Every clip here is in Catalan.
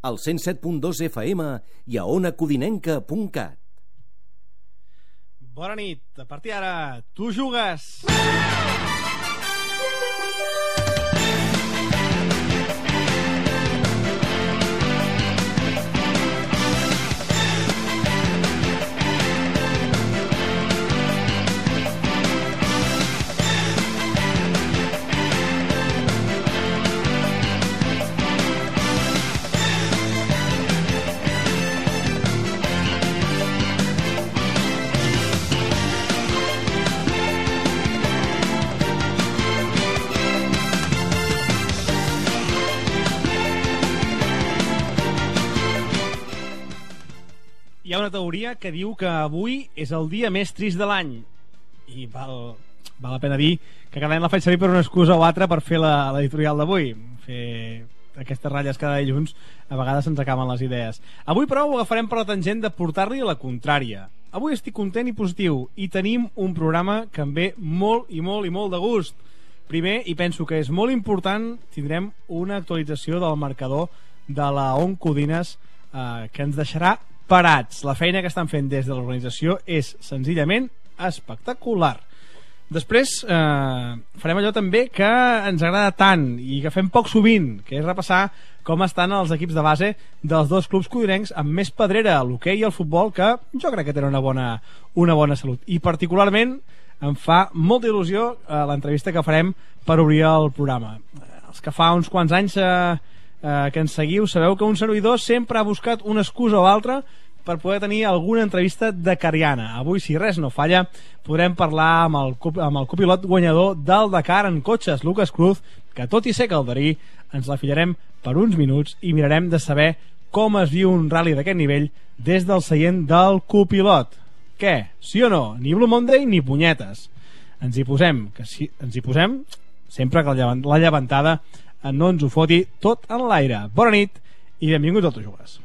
al 107.2 FM i a onacodinenca.cat. Bona nit, a partir d'ara, tu jugues! Hi ha una teoria que diu que avui és el dia més trist de l'any i val la pena dir que cada any la faig servir per una excusa o altra per fer l'editorial d'avui. Fer aquestes ratlles cada dilluns a vegades se'ns acaben les idees. Avui però ho agafarem per la tangent de portar-li a la contrària. Avui estic content i positiu i tenim un programa que em ve molt i molt i molt de gust. Primer, i penso que és molt important, tindrem una actualització del marcador de la OnCodines que ens deixarà parats. La feina que estan fent des de l'organització és senzillament espectacular. Després farem allò també que ens agrada tant i que fem poc sovint, que és repassar com estan els equips de base dels dos clubs codinencs amb més pedrera, l'hoquei i el futbol, que jo crec que tenen una bona salut. I particularment em fa molta il·lusió l'entrevista que farem per obrir el programa. Els que fa uns quants anys que ens seguiu sabeu que un servidor sempre ha buscat una excusa o altra per poder tenir alguna entrevista dakariana. Avui, si res no falla, podrem parlar amb el copilot guanyador del Dakar en cotxes, Lucas Cruz, que tot i ser calderí ens la fillarem per uns minuts i mirarem de saber com es viu un rally d'aquest nivell des del seient del copilot. Què? Sí o no? Ni Blue Monday ni punyetes. Ens hi posem, sempre que la llevantada no ens ho foti tot en l'aire. Bona nit i benvinguts al Tu Jugues.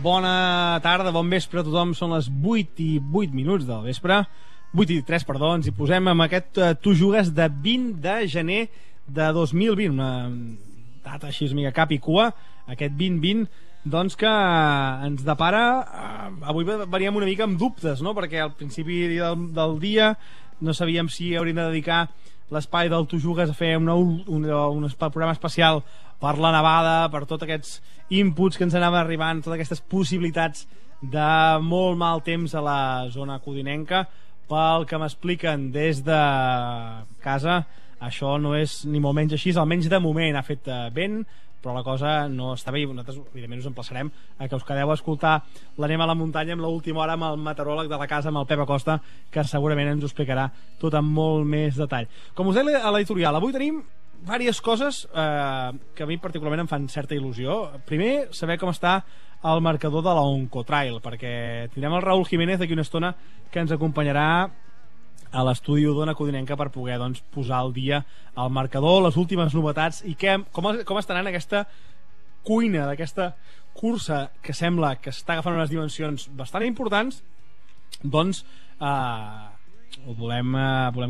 Bona tarda, bon vespre a tothom. Són les 8 i 8 minuts del vespre, 8 i 3, perdó. Ens hi posem amb aquest Tu Jugues de 20 de gener de 2020, una data així mica cap i cua, aquest 2020, doncs que ens depara avui veníem una mica amb dubtes, no? Perquè al principi del dia no sabíem si hauríem de dedicar l'espai del Tu Jugues a fer un programa especial per la nevada, per tots aquests inputs que ens anaven arribant, totes aquestes possibilitats de molt mal temps a la zona codinenca. Pel que m'expliquen des de casa, això no és ni molt menys així, almenys de moment ha fet vent, però la cosa no està bé i nosaltres evidentment us emplaçarem a que us quedeu a escoltar l'Anem a la muntanya amb l'última hora amb el meteoròleg de la casa, amb el Pep Acosta, que segurament ens ho explicarà tot amb molt més detall. Com us deia a l'editorial, avui tenim diverses coses que a mi particularment em fan certa il·lusió. Primer, saber com està el marcador de la OnCotrail, perquè tindrem el Raúl Jiménez d'aquí una estona que ens acompanyarà a l'estudi d'Ona Codinenca per poder posar al dia el marcador, les últimes novetats i com està anant aquesta cuina d'aquesta cursa que sembla que està agafant unes dimensions bastant importants. Doncs volem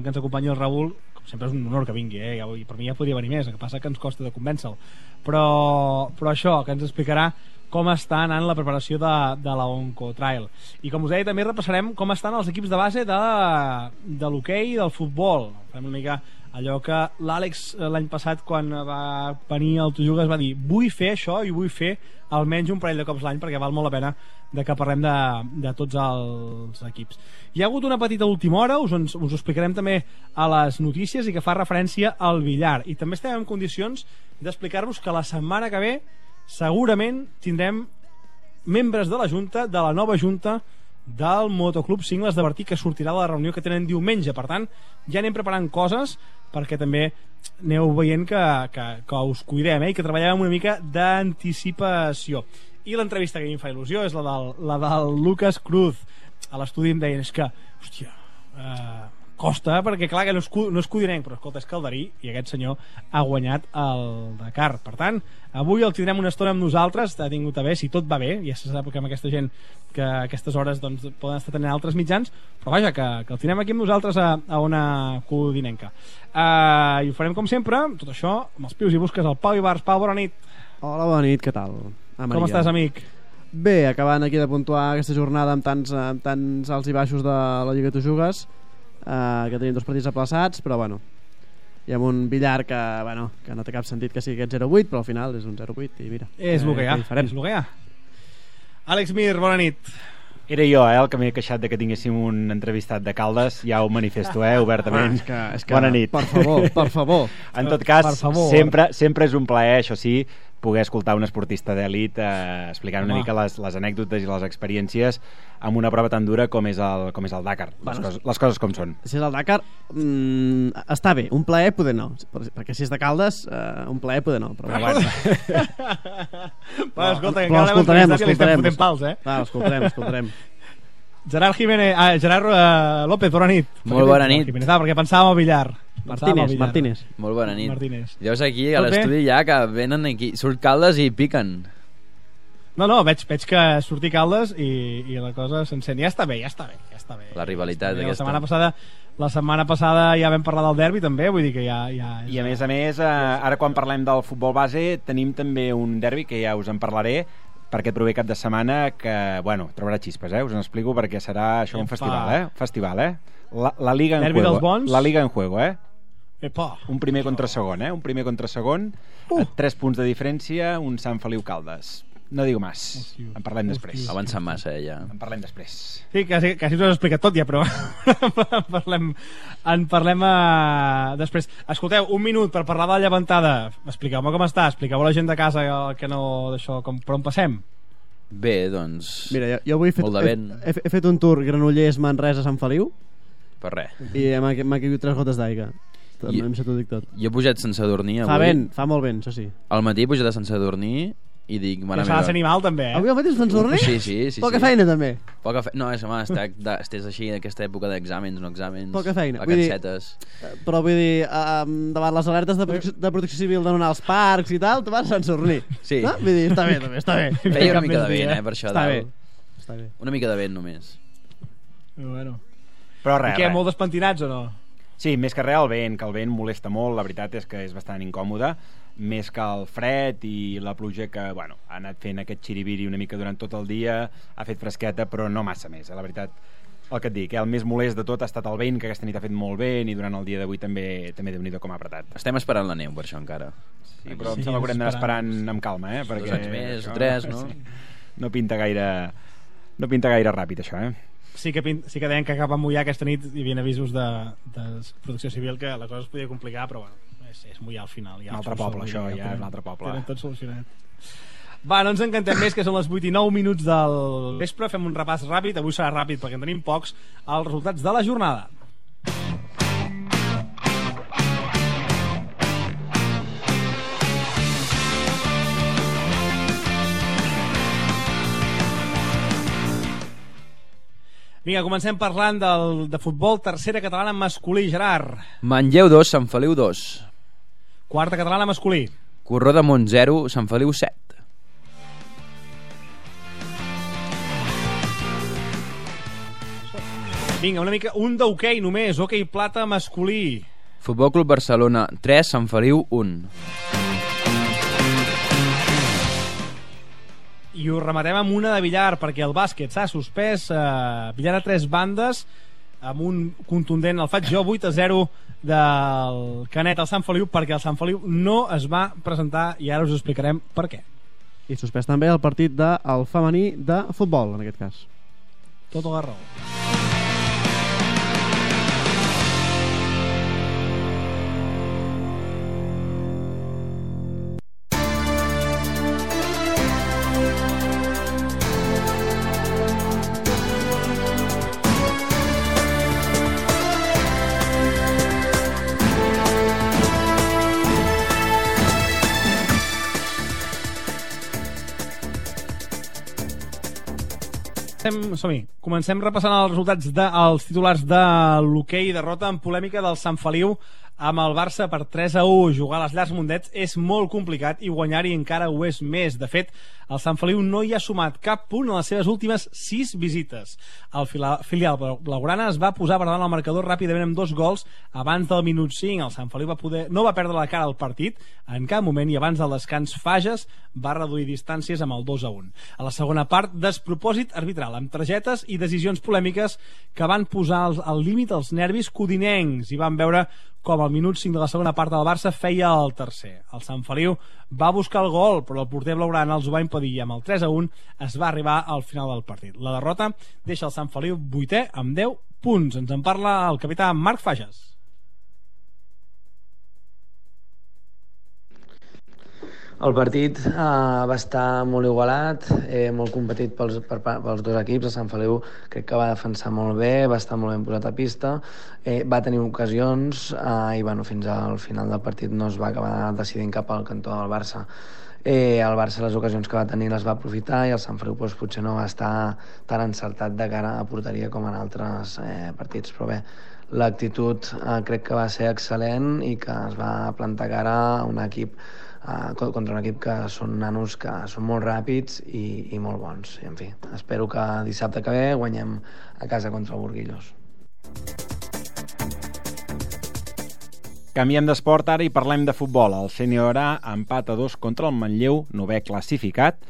que ens acompanyi el Raúl. Com sempre és un honor que vingui, i per mi ja podria venir més, el que passa que ens costa de convèncer-lo, però això, que ens explicarà com està anant la preparació de la OnCotrail. I com us deia, també repassarem com estan els equips de base de l'hoquei i del futbol. Farem una mica allò que l'Àlex l'any passat, quan va venir al Tu Jugues, va dir: vull fer això i vull fer almenys un parell de cops l'any, perquè val molt la pena de que parlem de tots els equips. Hi ha hagut una petita última hora, us ho explicarem també a les notícies, i que fa referència al billar. I també estem en condicions d'explicar-vos que la setmana que ve segurament tindrem membres de la Junta, de la nova Junta del Motoclub Cingles de Bertí, que sortirà de la reunió que tenen diumenge. Per tant, ja anem preparant coses perquè també aneu veient que us cuidem, i que treballem amb una mica d'anticipació. I l'entrevista que a mi em fa il·lusió és la del Lucas Cruz. A l'estudi em deien, és que, hòstia, costa, perquè clar que no és codinenc, però escolta, és calderí, i aquest senyor ha guanyat el Dakar. Per tant, avui el tindrem una estona amb nosaltres, ha tingut a bé, si tot va bé, ja se sap que amb aquesta gent que a aquestes hores doncs, poden estar tenint altres mitjans, però vaja, que el tindrem aquí amb nosaltres a una codinenca. I ho farem com sempre, tot això, amb els pius i busques al Pau Ibars. Pau, bona nit. Hola, bona nit, què tal? Com estàs, amic? Bé, acabant aquí de puntuar aquesta jornada amb tants alts i baixos de la Lliga Tu Jugues, que tenim 2 partits aplaçats, però bueno, hi ha un billar que no té cap sentit que sigui aquest 0-8, però al final és un 0-8 i mira, és el que hi ha, és el que hi ha. Àlex Mir, bona nit. Era jo, el que m'he queixat de que tinguéssim un entrevistat de Caldes. Ja ho manifesto, obertament. És que, bona nit. Per favor. En tot cas, sempre és un plaer, això sí, poder escoltar un esportista d'elit explicant una mica les anècdotes i les experiències amb una prova tan dura com és el Dakar. Les coses com són. Si és el Dakar, està bé. Un plaer poder no, perquè si és de Caldes, un plaer poder no, però bueno. Escolta, que però l'escoltarem, pals, l'escoltarem. Gerard López, bona nit. Molt bona nit. Perquè pensàvem al billar. Martínez. Molt bona nit. Martínez. Llavors aquí a l'estudi ja que venen aquí, surt Caldes i piquen. No, veig que surti Caldes i la cosa s'encén. Ja està bé. La rivalitat aquesta. La setmana passada ja vam parlar del derbi també, vull dir que ja... I a més, ara quan parlem del futbol base tenim també un derbi que ja us en parlaré, perquè prové cap de setmana que, trobarà xispes, us en explico, perquè serà això un festival, La Liga en derbi juego. Dels bons. La Liga en juego, Epa. Un primer contra segon, Un primer contra segon, 3 punts de diferència, un Sant Feliu Caldes. No digo más. En parlem després. Avançant massa, ja. En parlem després. Sí, quasi us ho he explicat tot ja, però en parlem després. Escolteu, un minut per parlar de la llevantada. Expliqueu-me com està, expliqueu a la gent de casa que no d'això, per on passem. Bé, doncs... Mira, jo avui he fet un tour Granollers, Manresa, Sant Feliu. Per res. I m'ha caigut 3 gotes d'aigua. Jo he pujat sense dormir avui. Fa molt vent, això sí. Al matí he pujat sense dormir i dic... Que s'ha de ser animal també, Avui al matí sense dormir? Sí. Poca feina també. No, estàs així en aquesta època d'exàmens, no exàmens. Poca feina. Vacancetes. Però vull dir, davant les alertes de protecció civil de no anar als parcs i tal, tu vas sense dormir. Sí. No? Vull dir, està bé, també, està bé. Feia una mica de vent, per això. Està bé. Una mica de vent només. Bueno. Però res, I què, molt despentinats o no? Sí, més que res el vent, que el vent molesta molt, la veritat és que és bastant incòmode, més que el fred i la pluja que, ha anat fent aquest xiribiri una mica durant tot el dia, ha fet fresqueta, però no massa més, La veritat, el que et dic, el més molest de tot ha estat el vent, que aquesta nit ha fet molt vent i durant el dia d'avui també Déu-n'hi-do com ha apretat. Estem esperant la neu per això encara. Sí, però em sembla que haurem d'anar esperant amb calma, perquè 2 anys més o 3, no? No pinta gaire ràpid això, Sí que deien que cap a mullar aquesta nit hi havia avisos de protecció civil que la cosa es podia complicar, però és mullar al final. Un altre poble, això, ja és un altre poble. Tenen tot solucionat. Va, no ens encantem més, que són les 8 i 9 minuts del vespre. Fem un repàs ràpid, avui serà ràpid perquè en tenim pocs, els resultats de la jornada. Vinga, comencem parlant de futbol, tercera catalana masculí, Gerard. Manlleu 2, Sant Feliu 2. Quarta catalana masculí. Corró de Mont 0, Sant Feliu 7. Vinga, una mica, un d'hoquei només, hoquei plata masculí. Futbol Club Barcelona 3, Sant Feliu 1. I ho rematem amb una de billar, perquè el bàsquet s'ha suspès, billar a 3 bandes, amb un contundent, el faig jo, 8-0 del Canet al Sant Feliu, perquè el Sant Feliu no es va presentar i ara us explicarem per què. I suspès també el partit del femení de futbol, en aquest cas. Tota la raó. Som-hi. Comencem repassant els resultats dels titulars de l'hoquei. Derrota en polèmica del Sant Feliu amb el Barça per 3-1. Jugar a les llars Mundets és molt complicat i guanyar-hi encara ho és més. De fet, el Sant Feliu no hi ha sumat cap punt en les seves últimes 6 visites. El filial blaugrana es va posar per davant el marcador ràpidament amb 2 gols abans del minut 5. El Sant Feliu no va perdre la cara al partit en cap moment i abans del descans Fages va reduir distàncies amb el 2-1. A la segona part, despropòsit arbitral amb targetes i decisions polèmiques que van posar al límit els nervis codinencs i van veure com al minut 5 de la segona part del Barça feia el tercer. El Sant Feliu va buscar el gol, però el porter blaugrana els ho va impedir i amb el 3-1 es va arribar al final del partit. La derrota deixa el Sant Feliu 8è amb 10 punts. Ens en parla el capità Marc Fages. El partit va estar molt igualat, molt competit pels dos equips. El Sant Feliu crec que va defensar molt bé, va estar molt ben posat a pista, va tenir ocasions i fins al final del partit no es va acabar decidint cap al cantó del Barça. El Barça les ocasions que va tenir les va aprofitar i el Sant Feliu potser no va estar tan encertat de cara a porteria com en altres partits, però bé, l'actitud crec que va ser excel·lent i que es va plantar cara a un equip contra un equip que són nanos que són molt ràpids i molt bons. I, en fi, espero que dissabte que ve guanyem a casa contra el Burguillos. Canviem d'esport ara i parlem de futbol. El Sènior A empat a 2 contra el Manlleu, 9è classificat.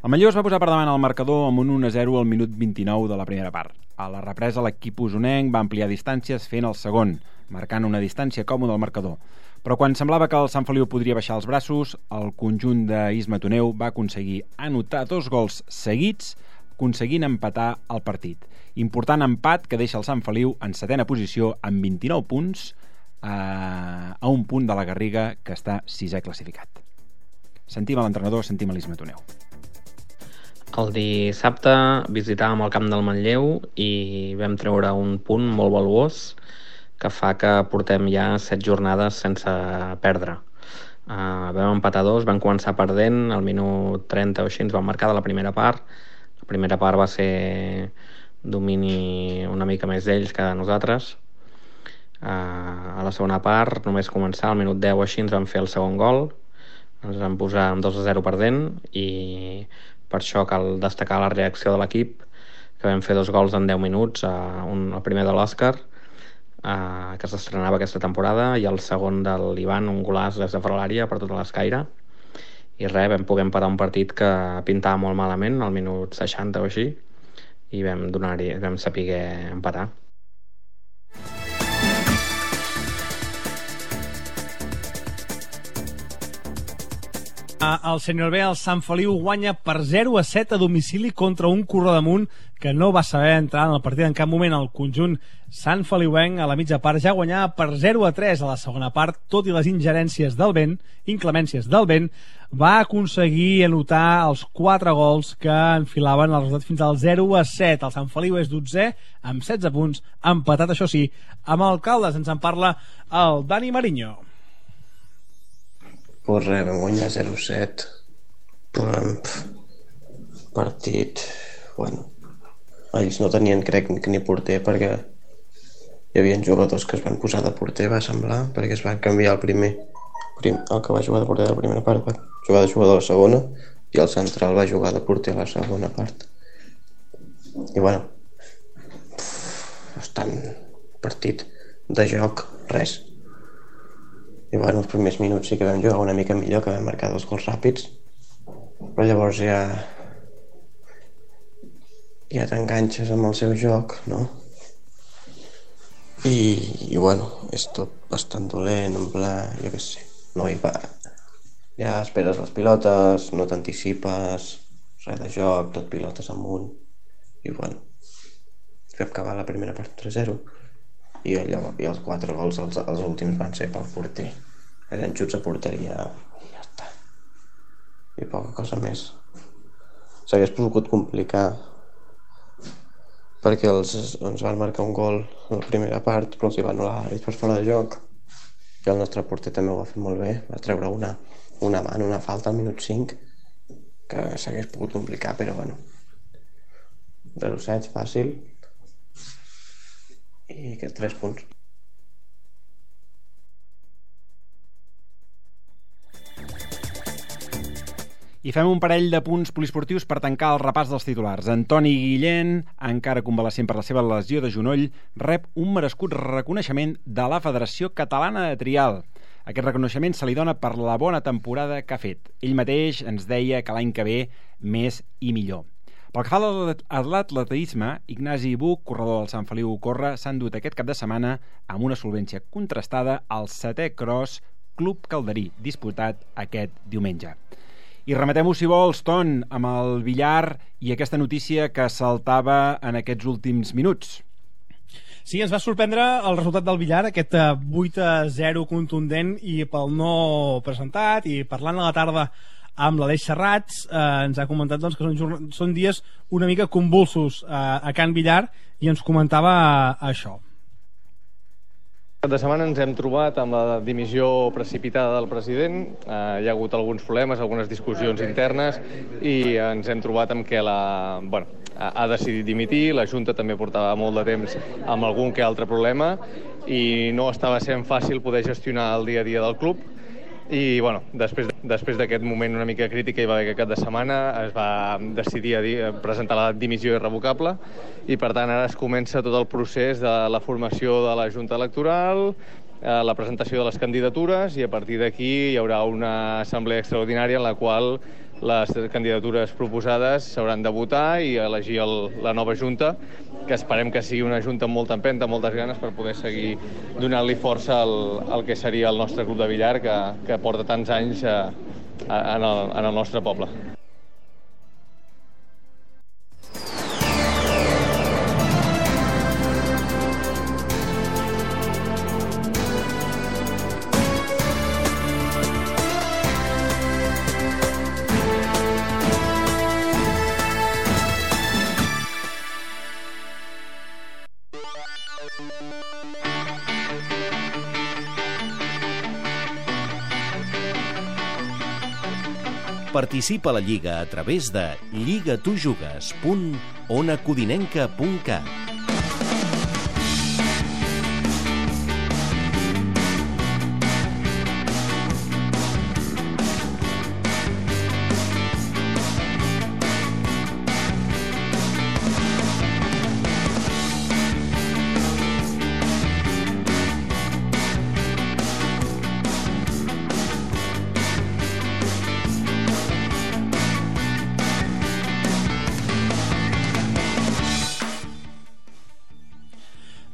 El Manlleu es va posar per davant el marcador amb un 1-0 al minut 29 de la primera part. A la represa l'equip usonenc va ampliar distàncies fent el segon, marcant una distància còmoda al marcador. Però quan semblava que el Sant Feliu podria baixar els braços, el conjunt d'Isma Toneu va aconseguir anotar 2 gols seguits, aconseguint empatar el partit. Important empat que deixa el Sant Feliu en 7ª posició amb 29 punts, a un punt de la Garriga, que està 6è classificat. Sentim a l'entrenador, sentim a l'Isma Toneu. El dissabte visitàvem el camp del Manlleu i vam treure un punt molt valuós que fa que portem ja 7 jornades sense perdre. Vam empatar 2, vam començar perdent, al minut 30 o així ens van marcar de la primera part. La primera part va ser domini una mica més d'ells que de nosaltres. A la segona part, només començar, al minut 10 o així ens van fer el segon gol, ens van posar amb 2-0 perdent i per això cal destacar la reacció de l'equip, que vam fer 2 gols en 10 minuts, el primer de l'Òscar, que s'estrenava aquesta temporada, i el segon de l'Ivan, un golaç des de fora l'àrea per tota l'escaire, i res, vam poder empatar un partit que pintava molt malament al minut 60 o així i vam saber empatar. El Sènior B, el Sant Feliu, guanya per 0-7 a domicili contra un Corredamunt que no va saber entrar en el partit en cap moment. El conjunt Sant Feliuenc a la mitja part ja guanyava per 0-3 a la segona part, tot i les inclemències del vent, va aconseguir anotar els 4 gols que enfilaven el resultat fins al 0-7. El Sant Feliu és 12è amb 16 punts, empatat, això sí, amb el Caldes. Ens en parla el Dani Mariño. Pues res, vam guanyar 0-7. Partit, bueno, ells no tenien, crec, ni porter, perquè hi havia jugadors que es van posar de porter, va semblar, perquè es va canviar el que va jugar de porter de la primera part va jugar de jugador a la segona, i el central va jugar de porter a la segona part. I bueno, bastant partit de joc, res. I bueno, els primers minuts sí que vam jugar una mica millor, que vam marcar 2 gols ràpids, però llavors ja t'enganxes amb el seu joc, no? I bueno, és tot bastant dolent, en pla, jo què sé, no hi va. Ja esperes les pilotes, no t'anticipes, res de joc, tot pilotes amunt, i bueno, vam acabar la primera part 3-0. I els 4 gols, els últims, van ser pel porter. Eren xuts a porteria i ja està. I poca cosa més. S'hagués pogut complicar perquè ens van marcar un gol a la primera part, però els hi va anul·lar l'àrbit per fora de joc. I el nostre porter també ho va fer molt bé. Va treure una falta al minut 5 que s'hagués pogut complicar, però bueno. 0-7, fàcil. I aquests 3 punts. I fem un parell de punts poliesportius per tancar el repàs dels titulars. Antoni Guillén, encara convalescent per la seva lesió de genoll, rep un merescut reconeixement de la Federació Catalana de Trial. Aquest reconeixement se li dona per la bona temporada que ha fet. Ell mateix ens deia que l'any que ve més i millor. Pel que fa a l'atletisme, Ignasi Buch, corredor del Sant Feliu Corre, s'ha endut aquest cap de setmana amb una solvència contrastada al 7è Cross Club Calderí, disputat aquest diumenge. I rematem-ho, si vols, Ton, amb el billar i aquesta notícia que saltava en aquests últims minuts. Sí, ens va sorprendre el resultat del billar, aquest 8-0 contundent, i pel no presentat, i parlant a la tarda amb l'Aleix Serrats, ens ha comentat doncs, que són dies una mica convulsos a Can Villar, i ens comentava això. Aquesta setmana ens hem trobat amb la dimissió precipitada del president. Hi ha hagut alguns problemes, algunes discussions internes, i ens hem trobat amb que ha decidit dimitir. La Junta també portava molt de temps amb algun que altre problema i no estava sent fàcil poder gestionar el dia a dia del club. I després d'aquest moment una mica crític que hi va haver aquest cap de setmana, es va decidir a presentar la dimissió irrevocable, i per tant ara es comença tot el procés de la formació de la Junta Electoral, la presentació de les candidatures, i a partir d'aquí hi haurà una assemblea extraordinària en la qual les candidatures proposades s'hauran de votar i elegir la nova Junta, que esperem que sigui una Junta amb molta empenta, amb moltes ganes, per poder seguir donant-li força al que seria el nostre club de billar, que porta tants anys en el nostre poble. Participa a la Lliga a través de lligatujugues.onacodinenca.cat.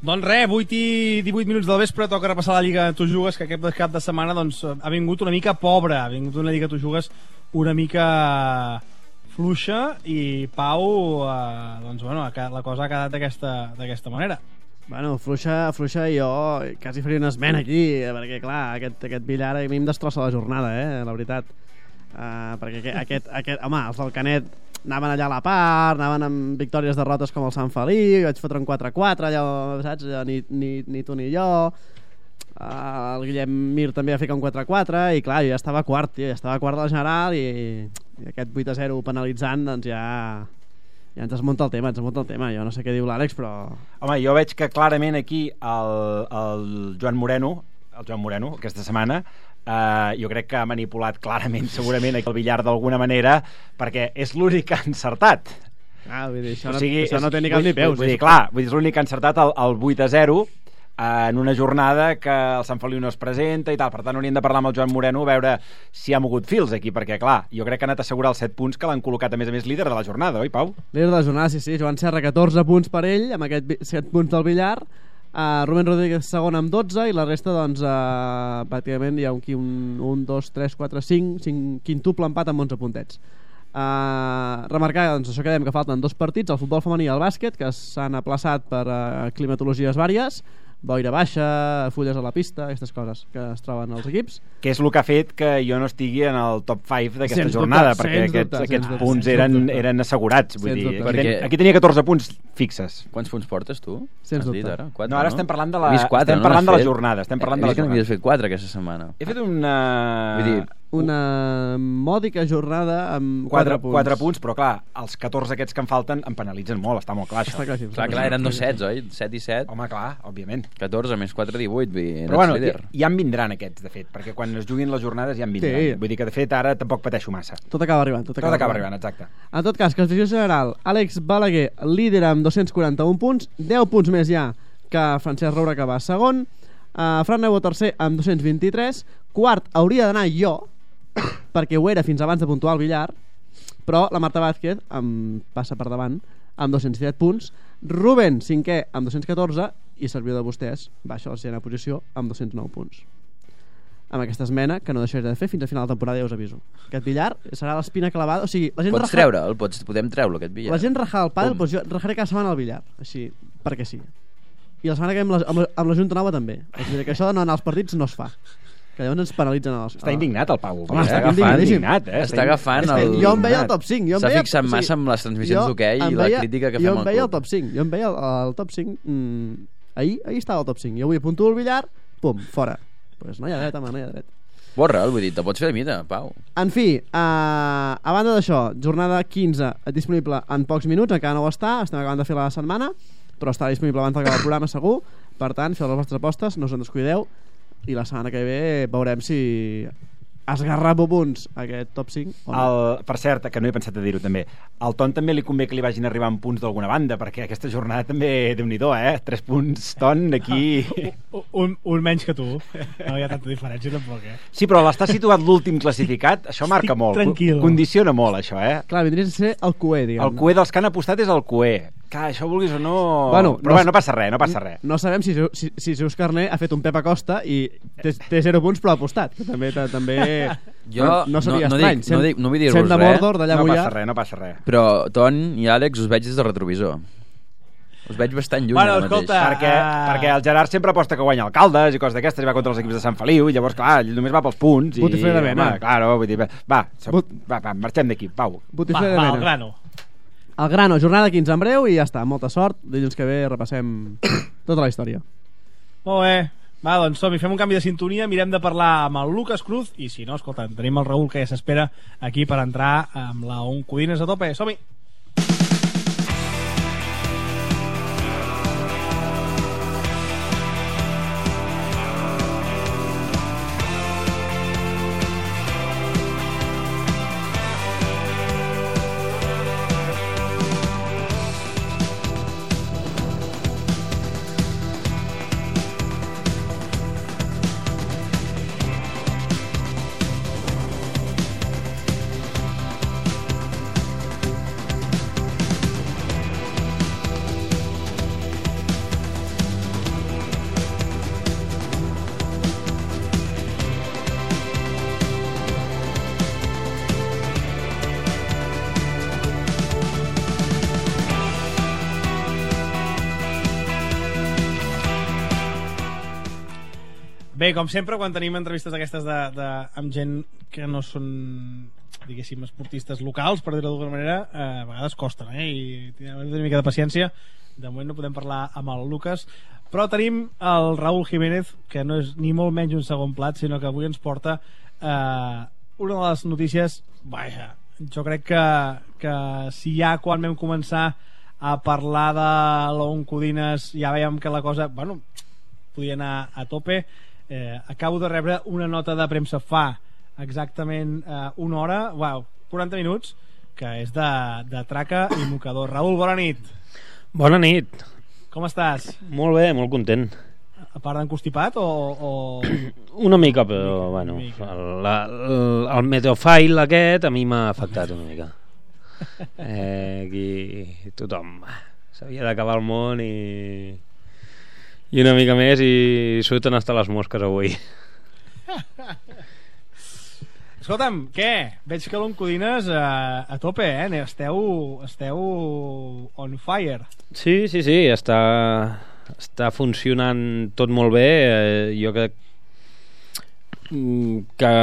Doncs res, 8 i 18 minuts del vespre, toca repassar la Lliga Tu Jugues, que aquest cap de setmana doncs, ha vingut una mica pobra, ha vingut una Lliga Tu Jugues una mica fluixa, i Pau, la cosa ha quedat d'aquesta manera. Bueno, fluixa, jo quasi faria una esmena aquí, perquè clar, aquest billar a mi em destrossa la jornada, la veritat. Perquè home, els del Canet anaven allà a la part, anaven amb victòries, derrotes com el Sant Feliu, vaig fotre un 4-4 allò, saps? Ni tu ni jo. El Guillem Mir també va ficar un 4-4 i clar, jo ja estava quart de la general, i aquest 8-0 penalitzant, doncs ja ens desmunta el tema. Jo no sé què diu l'Àlex, però... Home, jo veig que clarament aquí el Joan Moreno aquesta setmana, jo crec que ha manipulat clarament, segurament, el billar d'alguna manera, perquè és l'únic que ha encertat. Vull dir, això no té ni cap ni peus. Vull dir, és l'únic que ha encertat el 8-0 en una jornada que el Sant Feliu no es presenta i tal. Per tant, hauríem de parlar amb el Joan Moreno a veure si ha mogut fils aquí, perquè clar, jo crec que ha anat a assegurar els 7 punts que l'han col·locat a més líder de la jornada, oi, Pau? Líder de la jornada, sí, Joan Serra 14 punts per ell amb aquests 7 punts del billar, Rubén Rodríguez segon amb 12, i la resta doncs pràcticament hi ha un 2, 3, 4, 5 quintuple empat amb 11 puntets. Remarcar, doncs, això que dèiem, que falten 2 partits, el futbol femení i el bàsquet, que s'han aplaçat per climatologies vàries, boira baixa, fulles a la pista, aquestes coses que es troben als equips. Que és el que ha fet que jo no estigui en el top 5 d'aquesta jornada, perquè aquests punts eren assegurats. Vull dir, aquí tenia 14 punts fixes. Quants punts portes, tu? Sens dubte. Ara? 4, no, ara estem parlant de la, de la jornada. He vist que n'havies fet 4 aquesta setmana. He fet una... Vull dir, una mòdica jornada amb 4 punts. 4 punts, però clar, els 14 aquests que em falten em penalitzen molt, està molt clar això. Està claríssim. Clar, eren 2 sets, oi? 7 i 7. Home, clar, òbviament. 14 més 4, 18. Però bueno, ja en vindran aquests, de fet, perquè quan es juguin les jornades ja en vindran. Sí. Vull dir que, de fet, ara tampoc pateixo massa. Tot acaba arribant. Tot acaba arribant, exacte. En tot cas, classificació general, Àlex Balaguer líder amb 241 punts, 10 punts més ja que Francesc Roura, que va segon, Fran Nebo tercer amb 223, quart hauria d'anar jo, perquè ho era fins abans de puntuar el billar, però la Marta Vázquez em passa per davant amb 207 punts, Rubén cinquè amb 214 i servidor de vostès baixa a la sisena posició amb 209 punts. Amb aquesta esmena que no deixaré de fer fins a final de temporada, ja us aviso. Aquest billar serà l'espina clavada, o sigui, la gent Pots treure'l, podem treure aquest billar. La gent rajar el pàdel, doncs jo rajaré cada setmana el billar, així, perquè sí. I la setmana que ve amb la Junta Nova també. O sigui, que això de no anar als partits no es fa, que llavors ens penalitzen Està indignat el Pau. Home, està indignat, Està agafant el... Jo em veia el top 5. S'ha fixat massa amb les transmissions d'hoquei i la crítica que fem al club. Jo em veia el top 5. Jo em veia el top 5. Ahir estava el top 5. Jo avui apunto el billar, pum, fora. Pues no hi ha dret, home, no hi ha dret. Borra'l, vull dir, te pots fer de mida, Pau. En fi, a banda d'això, jornada 15 disponible en pocs minuts, encara no ho està, estem acabant de fer la setmana, però està disponible abans d'acabar el programa segur. Per tant, feu les vostres apostes, no us en descuideu, i la setmana que ve veurem si esgarrapo punts aquest top 5 o no. Per cert, que no he pensat a dir-ho també, al Ton també li convé que li vagin arribant punts d'alguna banda, perquè aquesta jornada també, Déu-n'hi-do, 3 punts, Ton, aquí... un menys que tu, no hi ha tanta diferència tampoc, Sí, però l'està situat l'últim classificat, això marca molt, tranquil. Condiciona molt això, Clar, vindria a ser el QE, diguem. El QE dels que han apostat és el QE. Clar, això vulguis o no... Bueno, però no passa res, no passa res. No sabem si Zeus Carné ha fet un Pep Acosta i té 0 punts però ha apostat, que també jo no seria estrany. No vull dir-vos res. Sent de Mordor, d'allà no passa res. Però Ton i Àlex us veig des del retrovisor. Us veig bastant lluny ara mateix. Escolta, perquè el Gerard sempre aposta que guanya alcaldes i coses d'aquestes i va contra els equips de Sant Feliu, llavors clar, ell només va pels punts. Botifler de Mena. Claro, vull dir, va, marxem d'aquí, Pau. Botifler de Mena. El grano. El grano, jornada 15 en breu i ja està, molta sort. Dilluns que ve repassem tota la història. Molt bé. Va, doncs som-hi, fem un canvi de sintonia, mirem de parlar amb el Lucas Cruz i si no, escolta, tenim el Raül que ja s'espera aquí per entrar amb la On Codines a tope. Som-hi! Bé, com sempre, quan tenim entrevistes d'aquestes amb gent que no són, diguéssim, esportistes locals, per dir-ho d'alguna manera, a vegades costen, i hem de tenir una mica de paciència. De moment no podem parlar amb el Lucas, però tenim el Raúl Jiménez, que no és ni molt menys un segon plat, sinó que avui ens porta una de les notícies, vaja, jo crec que si ja quan vam començar a parlar de l'Oncodines ja veiem que la cosa, bueno, podia anar a tope. Acabo de rebre una nota de premsa fa exactament una hora, 40 minuts, que és de traca i mocador. Raül, bona nit. Bona nit. Com estàs? Molt bé, molt content. A part d'encostipat o... Una mica, però bueno, el meteofile aquest a mi m'ha afectat una mica. Aquí tothom s'havia d'acabar el món i una mica més i surten hasta les mosques avui. Escolta'm, què? Veig que l'Oncodines a tope, Esteu on fire. Sí, està funcionant tot molt bé. Jo crec que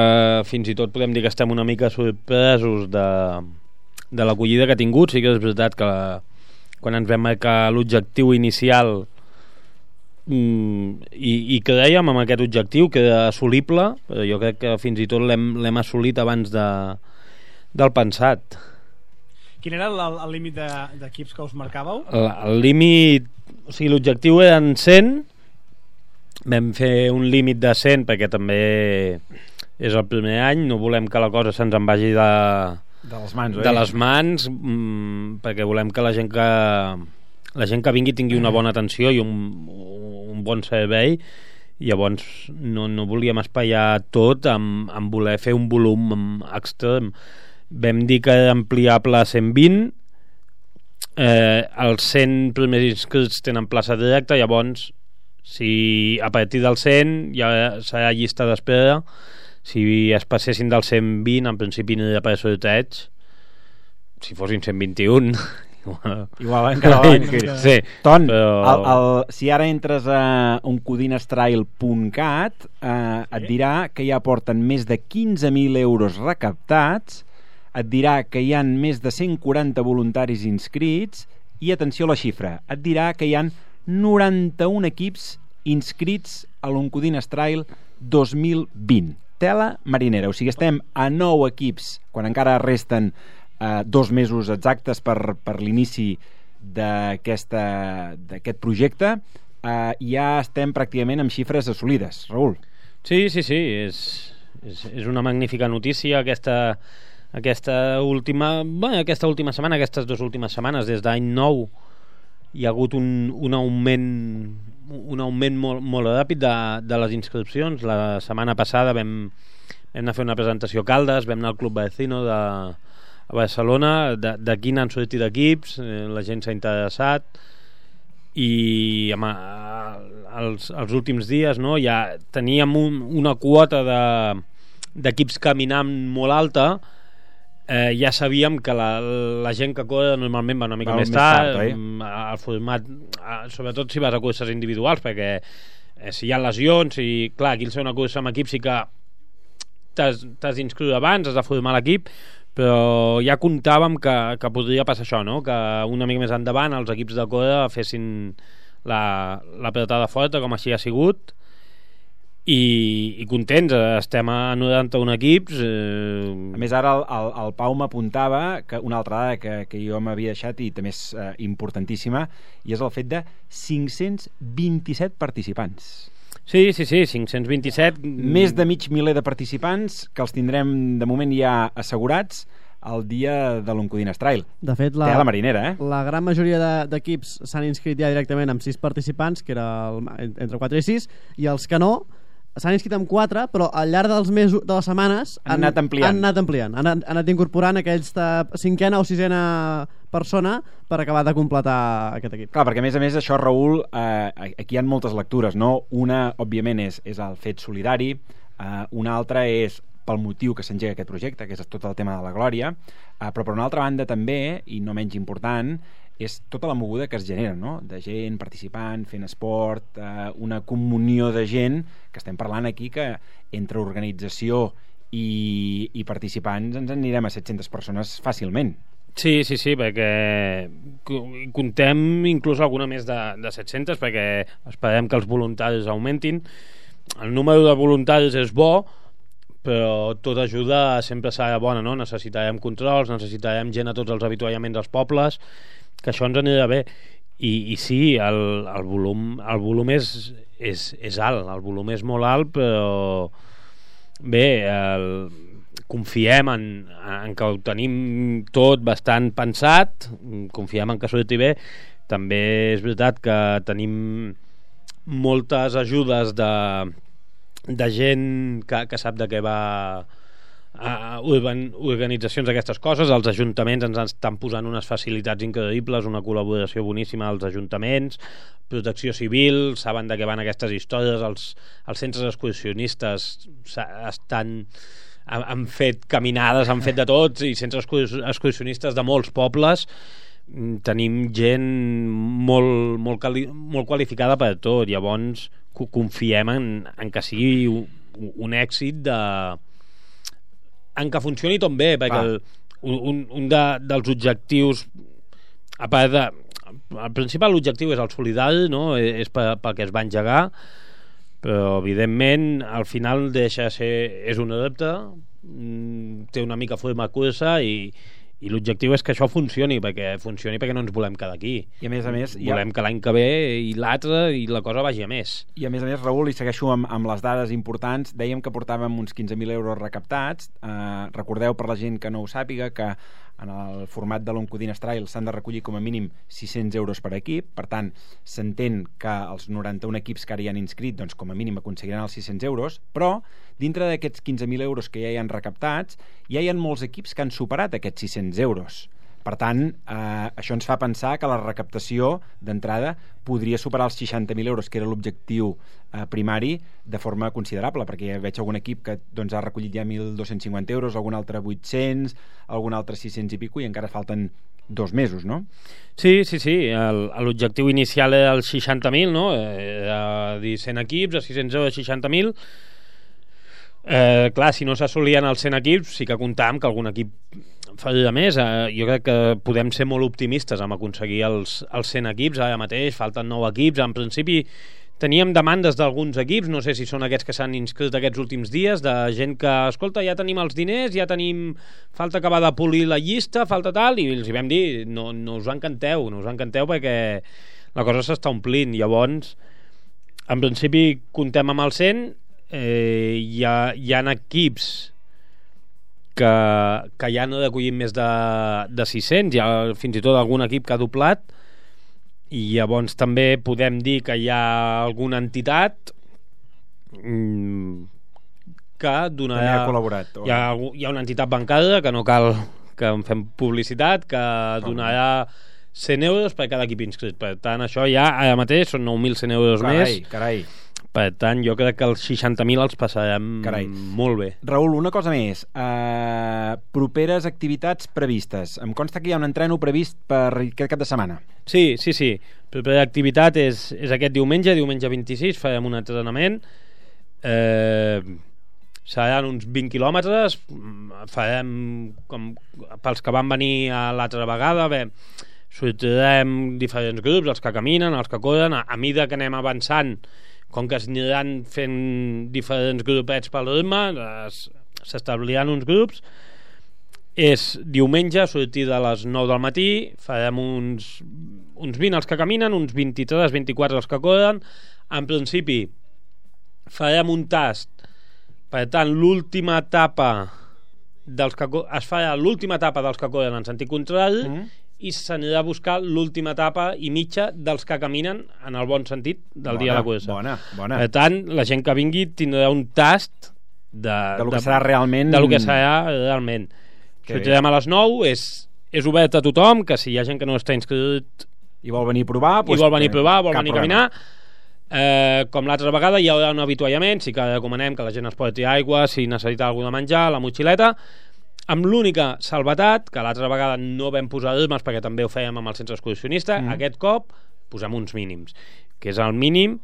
fins i tot podem dir que estem una mica sorpresos de l'acollida que ha tingut. Sí que és veritat que quan ens vam marcar l'objectiu inicial i que dèiem amb aquest objectiu que era assolible, però jo crec que fins i tot l'hem assolit abans del pensat. Quin era el límit d'equips que us marcàveu? El límit, o sigui, l'objectiu eren 100, vam fer un límit de 100 perquè també és el primer any, no volem que la cosa se'ns en vagi de les mans, perquè volem que la gent que vingui tingui una bona atenció i un bon servei. Llavors no volíem espaiar tot amb voler fer un volum extrem. Vam dir que era ampliable a 120, els 100 primers inscrits tenen plaça directa, llavors si a partir del 100 ja serà llista d'espera. Si es passessin del 120 en principi no hi ha per sorteig, si fossin 121 igual encara l'any sí, Ton, però... si ara entres a uncodinastrail.cat et dirà que ja porten més de 15.000 euros recaptats, et dirà que hi han més de 140 voluntaris inscrits i atenció a la xifra, et dirà que hi han 91 equips inscrits a l'Oncodinastrail 2020. Tela marinera, o sigui, estem a 9 equips quan encara resten 2 mesos exactes per l'inici d'aquest projecte. Ja estem pràcticament amb xifres assolides. Raül. Sí, és una magnífica notícia aquesta última setmana, aquestes 2 últimes setmanes, des d'any nou hi ha hagut un augment molt ràpid de les inscripcions. La setmana passada vam anar a fer una presentació a Caldes, vam anar al Club Vecino a Barcelona, d'aquí n'han sortit equips, la gent s'ha interessat i els últims dies ja teníem una quota d'equips caminant molt alta. Ja sabíem que la gent que corre normalment va una mica més tard, el format, sobretot si vas a curses individuals, perquè si hi ha lesions, i clar, aquí el ser una cursa amb equip sí que t'has d'inscriure abans, has de formar l'equip, però ja comptàvem que podria passar això, no? Que una mica més endavant els equips de corre fessin l'apretada forta, com així ha sigut, i contents, estem a 91 equips. A més, ara el Pau m'apuntava que una altra dada que jo m'havia deixat i també és importantíssima, i és el fet de 527 participants. Sí, 527. Més de mig miler de participants que els tindrem de moment ja assegurats el dia de l'Oncodinastrail. De fet, la marinera, la gran majoria d'equips s'han inscrit ja directament amb 6 participants, que era entre 4 i 6, i els que no s'han inscrit amb 4, però al llarg dels mesos, de les setmanes han anat ampliant, han anat incorporant aquesta 5a o 6a persona per acabar de completar aquest equip. Clar, perquè a més això, Raül, aquí hi ha moltes lectures, no? Una, òbviament, és el fet solidari, una altra és pel motiu que s'engega aquest projecte, que és tot el tema de la glòria, però per una altra banda també, i no menys important, és tota la moguda que es genera, no? De gent participant, fent esport, una comunió de gent, que estem parlant aquí que entre organització i participants ens anirem a 700 persones fàcilment. Sí, perquè contem inclús alguna més de 700, perquè esperem que els voluntaris augmentin. El número de voluntaris és bo, però tota ajuda sempre serà bona, no? Necessitarem controls, necessitarem gent a tots els avituallaments dels pobles, que això ens anirà bé. I sí, el volum és alt, el volum és molt alt, però bé, confiem en que ho tenim tot bastant pensat, confiem en que surti bé. També és veritat que tenim moltes ajudes de gent que sap de què va organitzacions d'aquestes coses. Els ajuntaments ens estan posant unes facilitats increïbles, una col·laboració boníssima als ajuntaments, protecció civil, saben de què van aquestes històries, els centres excursionistes han fet caminades, han fet de tots, i centres excursionistes de molts pobles. Tenim gent molt qualificada per tot. Llavors confiem en que sigui un èxit en que funcioni tot bé, perquè un dels objectius, a part de el principal objectiu és el solidari, no? És pel que es va engegar, però evidentment al final deixa de ser, és un adepte, té una mica forma cursa i l'objectiu és que això funcioni perquè no ens volem quedar aquí, i a més volem que l'any que ve i l'altre i la cosa vagi a més. I a més, Raül, i segueixo amb les dades importants, dèiem que portàvem uns 15.000 euros recaptats. Recordeu, per la gent que no ho sàpiga, que en el format de l'Oncodines Trail s'han de recollir com a mínim 600 euros per equip. Per tant, s'entén que els 91 equips que ara hi han inscrit, doncs com a mínim aconseguiran els 600 euros, però dintre d'aquests 15.000 euros que ja hi han recaptats, ja hi ha molts equips que han superat aquests 600 euros. Per tant, això ens fa pensar que la recaptació d'entrada podria superar els 60.000 euros, que era l'objectiu primari, de forma considerable, perquè ja veig algun equip que doncs, ha recollit ja 1.250 euros, algun altre 800, algun altre 600 i pico, i encara falten 2 mesos, no? Sí. L'objectiu inicial era els 60.000, no? Era dir 100 equips, a 600 euros, 60.000. Clar, si no s'assolien els 100 equips, sí que comptàvem que algun equip faria més. Jo crec que podem ser molt optimistes amb aconseguir els 100 equips. Ara mateix falten 9 equips. En principi teníem demandes d'alguns equips, no sé si són aquests que s'han inscrit aquests últims dies, de gent que, escolta, ja tenim els diners, ja tenim, falta acabar de polir la llista, falta tal, i els hi vam dir, no us encanteu perquè la cosa s'està omplint. Llavors, en principi comptem amb el 100. Hi ha equips que ja no recollim més de 600, hi ha fins i tot algun equip que ha doblat, i llavors també podem dir que hi ha alguna entitat que donarà, col·laborat, hi ha una entitat bancària que no cal que en fem publicitat, que donarà 100 euros per cada equip inscrit. Per tant, això ja ara mateix són 9.100 euros més. Carai. Per tant, jo crec que els 60.000 els passarem molt bé. Raül, una cosa més. Properes activitats previstes. Em consta que hi ha un entreno previst per aquest cap de setmana. Sí. Propera activitat és aquest diumenge 26, farem un entrenament. Seran uns 20 quilòmetres. Farem, com pels que van venir l'altra vegada, sortirem diferents grups, els que caminen, els que corren. A mida que anem avançant, com que es aniran fent diferents grupets pel ritme, s'establiran uns grups. És diumenge, a sortir de les 9 del matí, farem uns 20 els que caminen, uns 23-24 els que corren. En principi farem un tast, per tant l'última etapa es farà l'última etapa dels que corren en sentit contrari, i s'anirà a buscar l'última etapa i mitja dels que caminen en el bon sentit del dia de la cursa. Bona. Per tant, la gent que vingui tindrà un tast de lo que serà realment. Sortirem a les 9, és obert a tothom, que si hi ha gent que no està inscrit i vol venir a provar, vol venir a caminar, com l'altra vegada hi haurà un avituallament, sí que recomanem que la gent es porti aigua, si necessita alguna de menjar, la motxileta, amb l'única salvetat, que l'altra vegada no vam posar ritmes perquè també ho fèiem amb el centre excursionista. Aquest cop posem uns mínims, que és el mínim,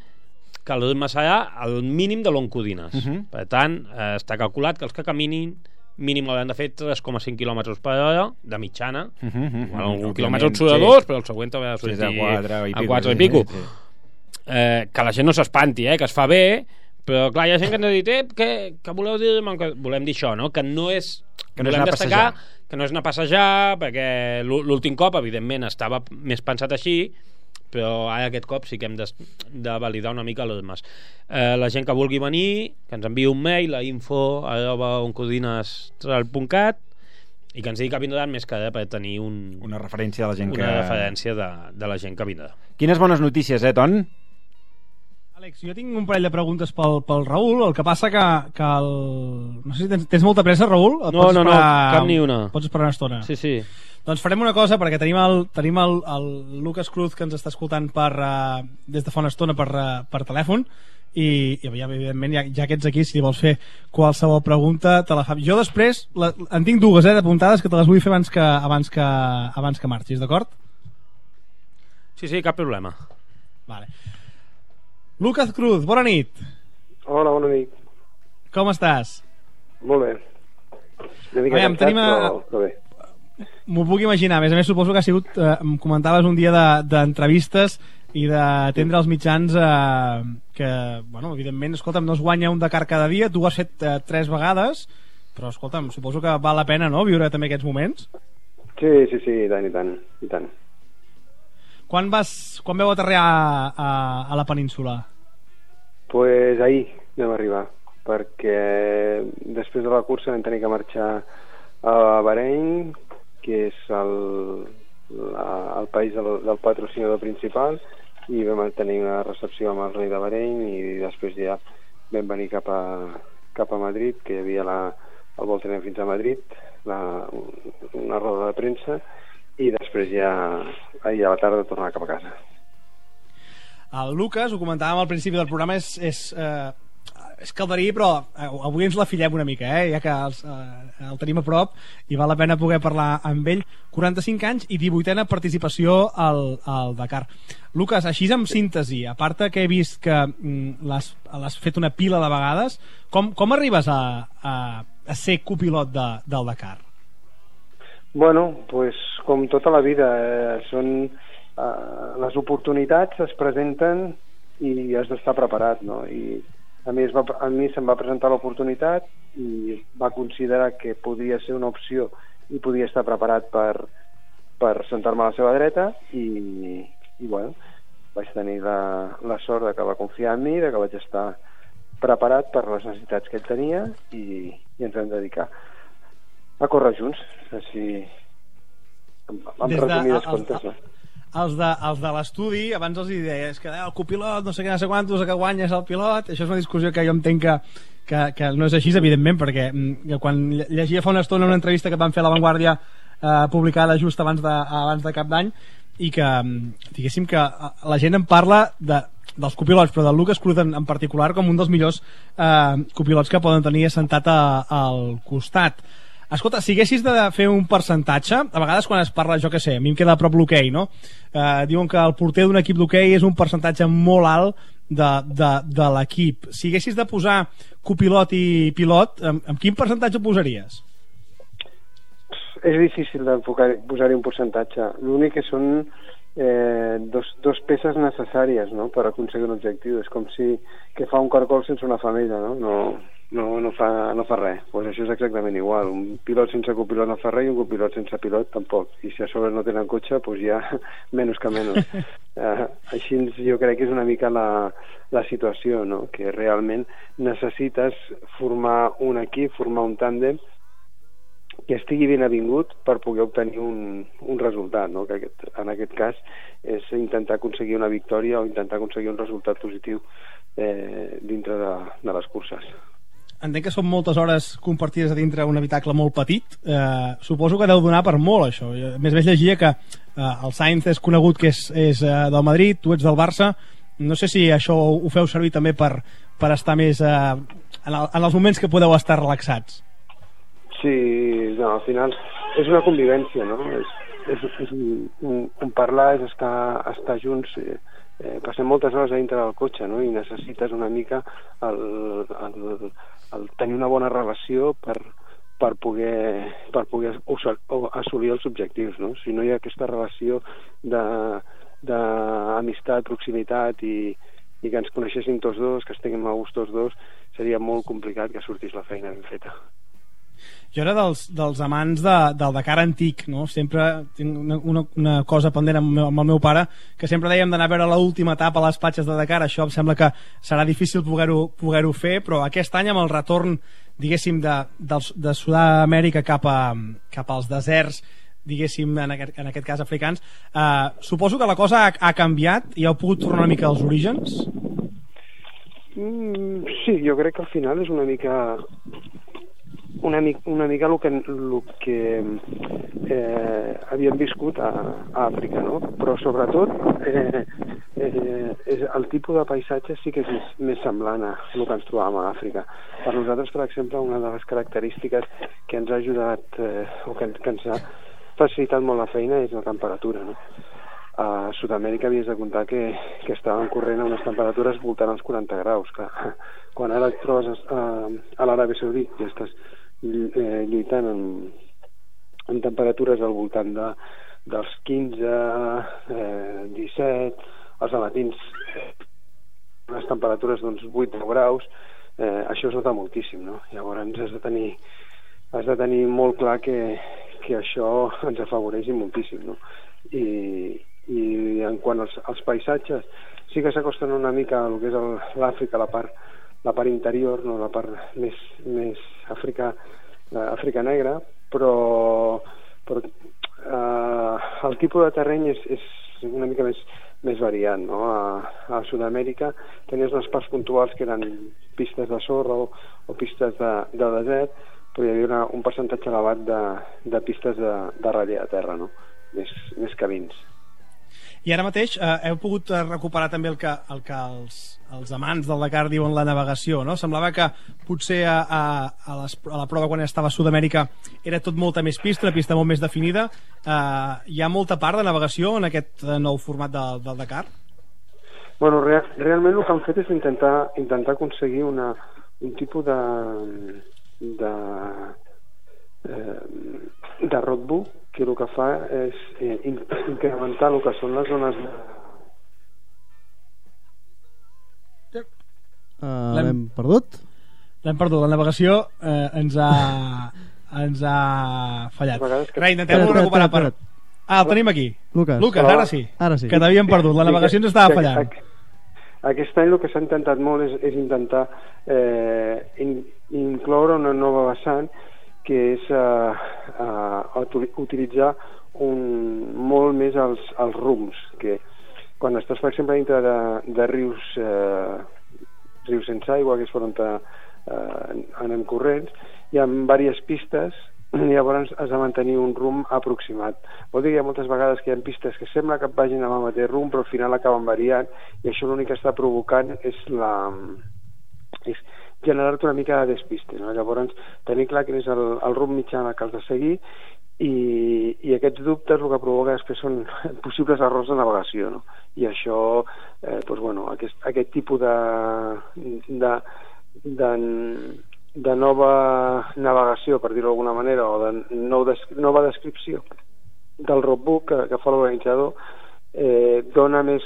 que el ritme serà el mínim de l'Oncodines. Per tant, està calculat que els que caminin mínim hauran de fer 3,5 km per hora de mitjana. Un quilòmetre surt a 2, però el següent haurà de sortir a 4 i pico. Que la gent no s'espanti, que es fa bé, però clar, hi ha gent que ens ha dit que voleu dir, volem dir això, no? Que no és volem destacar que no és anar a passejar, perquè l'últim cop evidentment estava més pensat així, però ara aquest cop sí que hem de validar una mica les ritmes. La gent que vulgui venir, que ens enviï un mail a info@oncodinestral.cat i que ens digui que vindran, més que per tenir una referència de la gent de la gent que vindrà. Quines bones notícies, Ton? Àlex, jo tinc un parell de preguntes pel Raül. El que passa que no sé si tens molta pressa, Raül? No, cap ni una. Pots esperar una estona? Sí. Doncs farem una cosa, perquè tenim el Lucas Cruz, que ens està escoltant des de fa una estona per telèfon, i evidentment ja que ets aquí, si li vols fer qualsevol pregunta te la fa. Jo després en tinc dues d'apuntades que te les vull fer abans que marxis, d'acord? Sí, cap problema. Vale. Lucas Cruz, bona nit. Hola, bona nit. Com estàs? Molt bé. Una mica cansat, però bé. M'ho puc imaginar. A més, suposo que ha sigut, em comentaves un dia d'entrevistes i d'atendre els mitjans que, bueno, evidentment, escolta'm, no es guanya un Dakar cada dia, tu ho has fet 3 vegades, però, escolta'm, suposo que val la pena, no?, viure també aquests moments. Sí, i tant. Quan vau aterrar a la península? Pues ahir vam arribar, perquè després de la cursa vam tenir que marxar a Bahrein, que és el país del patrocinador principal, i vam tenir una recepció amb el rei de Bahrein, i després ja vam venir cap a Madrid, que hi havia el vol tenir fins a Madrid, una roda de premsa, i després ja ahir a la tarda tornar cap a casa. El Lucas, ho comentàvem al principi del programa, és calderí, però avui ens la fillem una mica, ja que el tenim a prop i val la pena poder parlar amb ell. 45 anys i 18a participació al Dakar. Lucas, així en síntesi, a part que he vist que l'has fet una pila de vegades, com arribes a ser copilot del Dakar? Bueno, pues com tota la vida, les oportunitats es presenten i has d'estar preparat, no? I a mi se'm va presentar l'oportunitat i va considerar que podia ser una opció i podia estar preparat per sentar-me a la seva dreta i bueno, vaig tenir la sort de que va confiar en mi, de que vaig estar preparat per les necessitats que ell tenia i ens vam dedicar a córrer junts, així amb resumides comptes, no? Els de l'estudi, abans els deies que el copilot, no sé què, no sé quantos, que guanyes el pilot. Això és una discussió que jo entenc que no és així, evidentment, perquè quan llegia fa una estona una entrevista que van fer a La Vanguardia publicada just abans de Cap d'Any, i que diguéssim que la gent en parla dels copilots, però del Lucas Cruz en particular com un dels millors copilots que poden tenir assentat al costat. Escolta, si haguessis de fer un percentatge, a vegades quan es parla, jo què sé, a mi em queda a prop l'hoquei, no? Diuen que el porter d'un equip d'hoquei és un percentatge molt alt de l'equip. Si haguessis de posar copilot i pilot, amb quin percentatge ho posaries? És difícil de posar-hi un percentatge. L'únic que són dos peces necessàries, no?, per aconseguir un objectiu. És com si que fa un cargol sense una femella, no fa res. Pues això és exactament igual. Un pilot sense copilot no fa res i un copilot sense pilot tampoc. I si a sobre no tenen cotxe, pues ja menys que menys. Així jo crec que és una mica la situació, no?, que realment necessites formar un equip, formar un tàndem que estigui ben avingut per poder obtenir un resultat, no?, que en aquest cas és intentar aconseguir una victòria o intentar aconseguir un resultat positiu dintre de les curses. Entenc que són moltes hores compartides a dintre un habitacle molt petit. Suposo que deu donar per molt, això. A més, llegia que el Sainz és conegut que és del Madrid, tu ets del Barça. No sé si això ho feu servir també per estar més en els moments que podeu estar relaxats. Sí, no, al final és una convivència, no? És un parlar, és estar junts. Passem moltes hores a dintre del cotxe, no?, i necessites una mica el tenir una bona relació per poder assolir els objectius, no? Si no hi ha aquesta relació d'amistat, proximitat i que ens coneixéssim tots dos, que estiguem a gust tots dos, seria molt complicat que sortís la feina ben feta. Jo era dels amants del Dakar antic, no? Sempre tinc una cosa pendent amb el meu pare, que sempre dèiem d'anar a veure l'última etapa a les platges de Dakar. Això em sembla que serà difícil poder-ho fer, però aquest any amb el retorn, diguéssim, de Sud-amèrica cap als deserts, diguéssim, en aquest cas africans, suposo que la cosa ha canviat i heu pogut tornar una mica als orígens? Sí, jo crec que al final és una mica el que havíem viscut a Àfrica, no? Però sobretot el tipus de paisatge sí que és més semblant a el que ens trobàvem a Àfrica. Per nosaltres, per exemple, una de les característiques que ens ha ajudat o que ens ha facilitat molt la feina és la temperatura, no? A Sud-amèrica havies de comptar que estaven corrent a unes temperatures voltant als 40 graus. Quan ara et trobes a l'Aràbia Saudita i estàs lluitant amb temperatures al voltant dels 15, 17, els matins unes temperatures d'uns 8 graus, això es nota moltíssim, no? Llavors has de tenir molt clar que això ens afavoreix moltíssim, no? I en quant als paisatges, sí que s'acosten una mica al que és l'Àfrica, la part interior, no? La part més Àfrica negra, però el tipus de terreny és una mica més variat, no? A Sud-amèrica tenies unes parts puntuals que eren pistes de sorra o pistes de desert, però hi havia un percentatge elevat de pistes de ratlla de terra, no? Més camins. I ara mateix heu pogut recuperar també el que els amants del Dakar diuen la navegació, no? Semblava que potser a la prova quan estava a Sud-amèrica era tot molta més pista, una pista molt més definida. Hi ha molta part de navegació en aquest nou format del Dakar? Bueno, realment el que han fet és intentar aconseguir un tipus de roadbook que el que fa és incrementar el que són les zones l'hem perdut? L'hem perdut, la navegació ens ha fallat. Rai, intentem recuperar el tenim aquí. Lucas, ara sí. Que t'havíem perdut, la navegació ens estava fallant. Aquest any el que s'ha intentat molt és intentar incloure una nova vessant que és utilitzar molt més els rums, que quan estàs, per exemple, dintre de rius sense aigua, que és per on anem corrents, hi ha diverses pistes i llavors has de mantenir un rumb aproximat. Vol dir que hi ha moltes vegades que hi ha pistes que sembla que vagin amb el mateix rumb, però al final acaben variant, i això l'únic que està provocant és generar-te una mica de despiste, no? Llavors tenir clar quin és el rumb mitjà que has de seguir, i aquests dubtes el que provoca després són possibles errors de navegació, no? I això, aquest tipus de nova navegació, per dir-ho d'alguna manera, o de nova descripció del roadbook que fa l'organitzador, dona més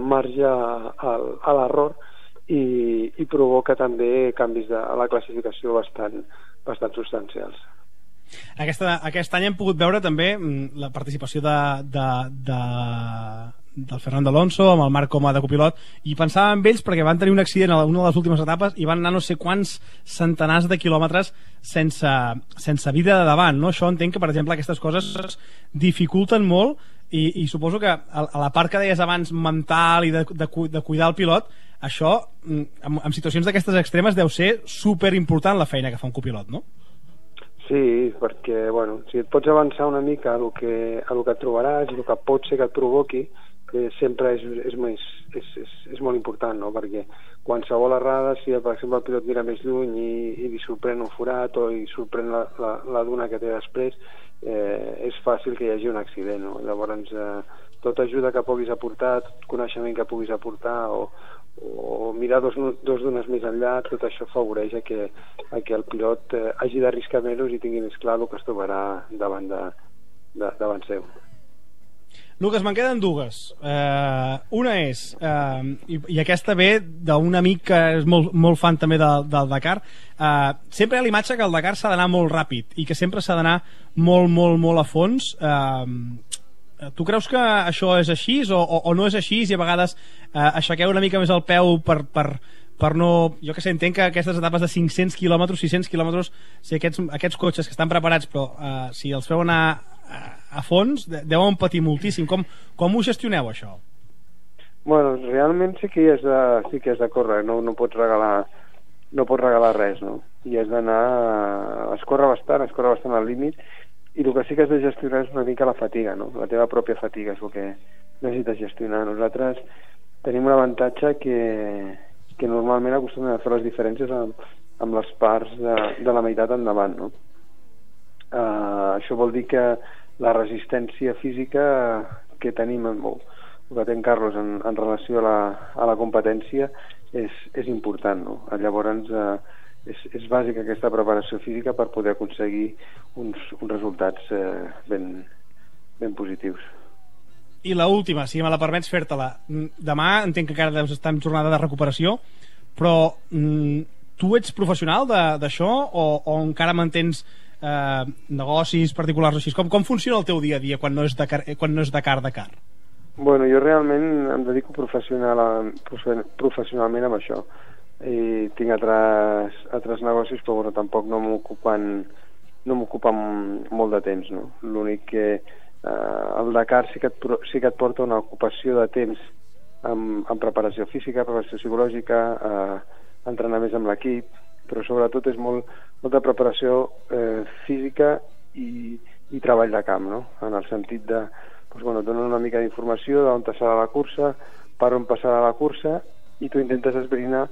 marge a l'error i provoca també canvis de la classificació bastant substancials. Aquest any hem pogut veure també la participació del Fernando Alonso amb el Marc com a de copilot, i pensava en ells perquè van tenir un accident a una de les últimes etapes i van anar no sé quants centenars de quilòmetres sense vida de davant, no? Això entenc que, per exemple, aquestes coses dificulten molt, i suposo que a la part que deies abans mental i de cuidar el pilot, això en situacions d'aquestes extremes deu ser superimportant la feina que fa un copilot, no? Sí, perquè si et pots avançar una mica a el que et trobaràs i el que pot ser que et provoqui, que sempre és molt important, no? Perquè qualsevol errada, si per exemple el pilot mira més lluny i li sorprèn un forat o li sorprèn la duna que té després, és fàcil que hi hagi un accident, no? Llavors tot ajuda que puguis aportar, tot coneixement que puguis aportar, o mirar dos dunes més enllà, tot això afavoreix que el pilot hagi d'arriscar menys i tingui més clar el que es trobarà davant seu. Lucas, me'n queden dues. Una és, i aquesta ve d'un amic que és molt fan també del Dakar, sempre hi ha l'imatge que el Dakar s'ha d'anar molt ràpid i que sempre s'ha d'anar molt a fons. Tu creus que això és així o no és així, i a vegades aixequeu una mica més el peu per no... Jo que sé, entenc que aquestes etapes de 500 quilòmetres, 600 quilòmetres, si aquests cotxes que estan preparats, però si els feu anar a fons, deuen patir moltíssim. Com ho gestioneu, això? Bueno, realment sí que has de córrer, no pots regalar res, no? I has d'anar... Es corre bastant al límit, i el que sí que has de gestionar és una mica la fatiga, no? La teva pròpia fatiga és el que necessites gestionar. Nosaltres tenim un avantatge que normalment acostumem a fer les diferències amb les parts de la meitat endavant, no? Això vol dir que la resistència física que tenim, el que té en Carlos en relació a la competència és important, no? Llavors és bàsica aquesta preparació física per poder aconseguir uns resultats ben positius. I l'última, si me la permets fer-te-la. Demà entenc que encara deus estar en jornada de recuperació, però tu ets professional d'això o encara mantens negocis particulars així? Com funciona el teu dia a dia quan no és Dakar? Bueno, jo realment em dedico professionalment amb això. I tinc altres negocis, però bueno, tampoc no m'ocupen molt de temps, no? L'únic que el Dakar sí que et porta una ocupació de temps en preparació física, preparació psicològica, entrenar més amb l'equip, però sobretot és molta preparació física i treball de camp, no? En el sentit de donar una mica d'informació d'on passarà la cursa, per on passarà la cursa, i tu intentes esbrinar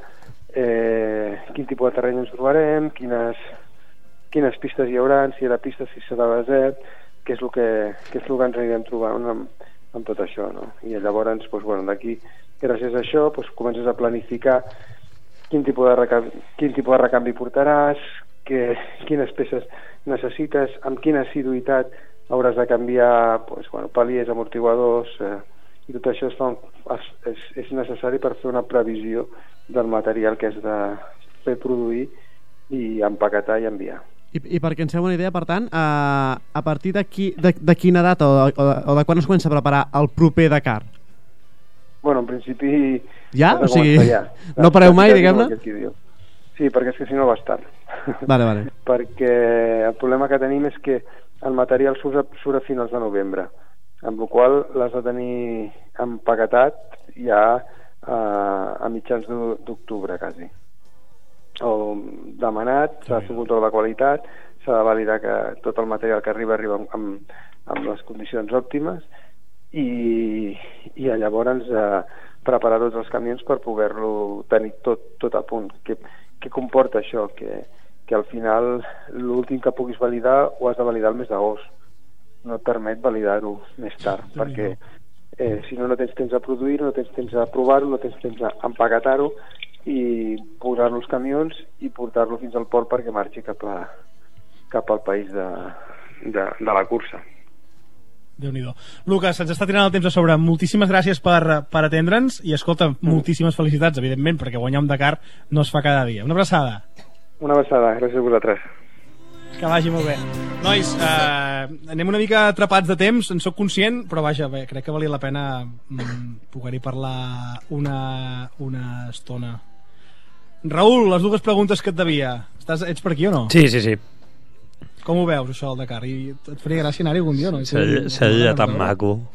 quin tipus de terreny ens trobarem, quines pistes hi haurà, si hi ha pistes, si serà desert, què és el que ens anirem trobant amb tot això, no? I llavors, d'aquí, gràcies a això, comences a planificar quin tipus de recanvi portaràs, quines peces necessites, amb quina assiduïtat hauràs de canviar paliers, amortiguadors, i tot això és necessari per fer una previsió del material que has de fer produir i empaquetar i enviar. I perquè ens fem una idea, per tant, a partir de quina data o de quan es comença a preparar el proper Dakar? Bueno, en principi... Ja? O sigui, no pareu mai, diguem-ne? Sí, perquè és que si no vas tard. Vale. Perquè el problema que tenim és que el material surt a finals de novembre, amb la qual l'has de tenir empaquetat ja a mitjans d'octubre, quasi. O demanat, s'ha de fer un control de qualitat, s'ha de validar que tot el material que arriba amb les condicions òptimes i llavors preparar tots els camions per poder-lo tenir tot a punt. Què comporta això? Que al final l'últim que puguis validar ho has de validar el mes d'agost. No et permet validar-ho més tard, perquè si no tens temps a produir-ho, no tens temps a provar-ho, no tens temps a empaquetar-ho i posar-lo als camions i portar-lo fins al port perquè marxi cap al país de la cursa. Déu-n'hi-do. Lucas, se'ns està tirant el temps a sobre. Moltíssimes gràcies per atendre'ns i, escolta, moltíssimes felicitats, evidentment, perquè guanyar un Dakar no es fa cada dia. Una abraçada. Una abraçada, gràcies a vosaltres. Que vagi molt bé. Nois, anem una mica atrapats de temps, en sóc conscient, però vaja, crec que valia la pena poder-hi parlar una estona. Raül, les dues preguntes que et devia. Ets per aquí o no? Sí. Com ho veus, això, el Dakar? I et faria gràcia anar-hi algun dia, no? Seria tan maco.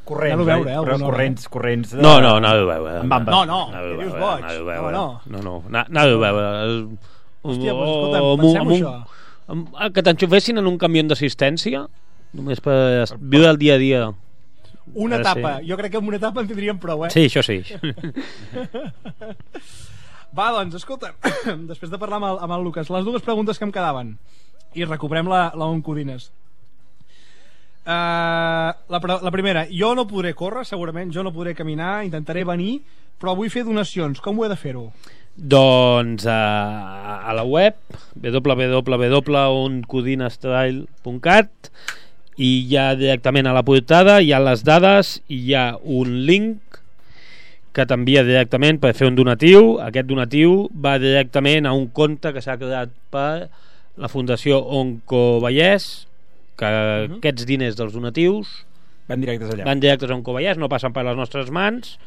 Corrents, corrents... No, anava a veure. No, que dius boig. No, anava a veure. Hòstia, doncs escolta, pensem això. Que t'enxufessin en un camió d'assistència, només per viure el dia a dia. Una etapa, jo crec que amb una etapa en tindríem prou, Sí, això sí. Va, doncs, escolta, després de parlar amb el Lucas, les dues preguntes que em quedaven, i recuperem la Oncodines. La primera, jo no podré córrer, segurament, jo no podré caminar, intentaré venir, però vull fer donacions. Com ho he de fer-ho? Doncs a la web www.oncodinestyle.cat i ja directament a la portada hi ha les dades i hi ha un link que t'envia directament per fer un donatiu. Aquest donatiu va directament a un compte que s'ha creat per la Fundació Onco Vallès, que aquests diners dels donatius van directes allà. Van directes a Onco Vallès, no passen per les nostres mans.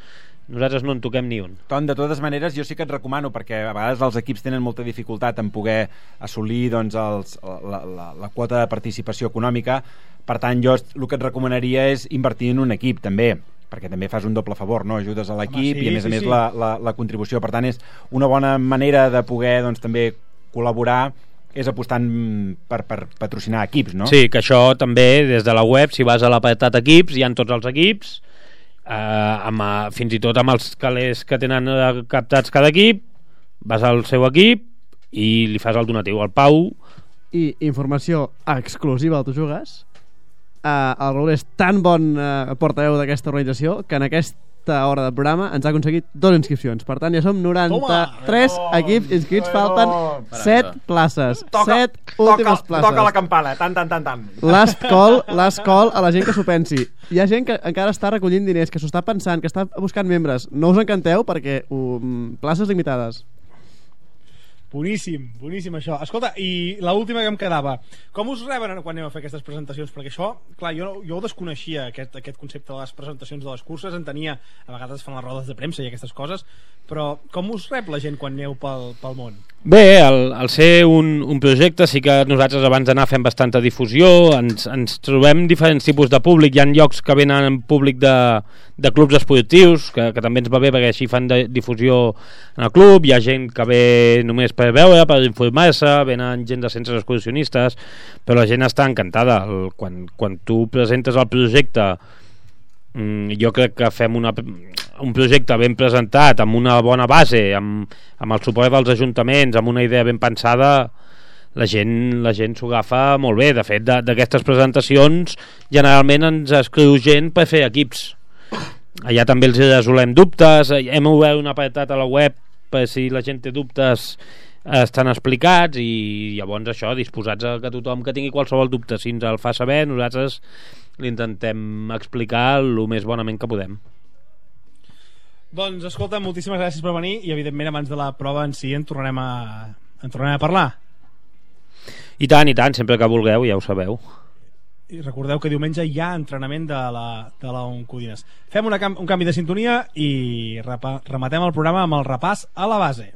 Nosaltres no en toquem ni un. De totes maneres, jo sí que et recomano, perquè a vegades els equips tenen molta dificultat en poder assolir la quota de participació econòmica. Per tant, jo el que et recomanaria és invertir en un equip, també, perquè també fas un doble favor, no? Ajudes a l'equip i a més la contribució. Per tant, és una bona manera de poder també col·laborar és apostant per patrocinar equips, no? Sí, que això també, des de la web, si vas a l'apartat equips, hi ha tots els equips, fins i tot amb els calés que tenen captats cada equip, vas al seu equip i li fas el donatiu al Pau. I informació exclusiva al Tu Jugues, el Raül és tan bon portaveu d'aquesta organització que en aquest aquesta hora de programa ens ha aconseguit 2 inscripcions. Per tant, ja som 93 equips inscrits, falten 7 places. 7 últimes places. Toca la campana, tant. Last call a la gent que s'ho pensi. Hi ha gent que encara està recollint diners, que s'ho està pensant, que està buscant membres. No us encanteu perquè places limitades. Boníssim això. Escolta, i l'última que em quedava, com us reben quan aneu a fer aquestes presentacions? Perquè això, clar, jo ho desconeixia, aquest concepte de les presentacions de les curses, entenia, a vegades fan les rodes de premsa i aquestes coses, però com us rep la gent quan aneu pel món? Bé, al ser un projecte sí que nosaltres abans d'anar fem bastanta difusió, ens trobem diferents tipus de públic. Hi ha llocs que venen públic de clubs esportius, que també ens va bé perquè així fan difusió en el club. Hi ha gent que ve només per veure, per informar-se, venen gent de centres excursionistes, però la gent està encantada. Quan tu presentes el projecte, jo crec que fem un projecte ben presentat, amb una bona base, amb el suport dels ajuntaments, amb una idea ben pensada, la gent s'ho agafa molt bé. De fet, d'aquestes presentacions generalment ens escriu gent per fer equips. Allà també els resolem dubtes, hem obert un apartat a la web per si la gent té dubtes, estan explicats, i llavors això, disposats a que tothom que tingui qualsevol dubte, si ens el fa saber, nosaltres l'intentem explicar el més bonament que podem. Doncs escolta, moltíssimes gràcies per venir, i evidentment abans de la prova en si en tornarem a parlar. I tant, sempre que vulgueu, ja ho sabeu. I recordeu que diumenge hi ha entrenament de la Oncodines. Fem un canvi de sintonia i rematem el programa amb el repàs a la base.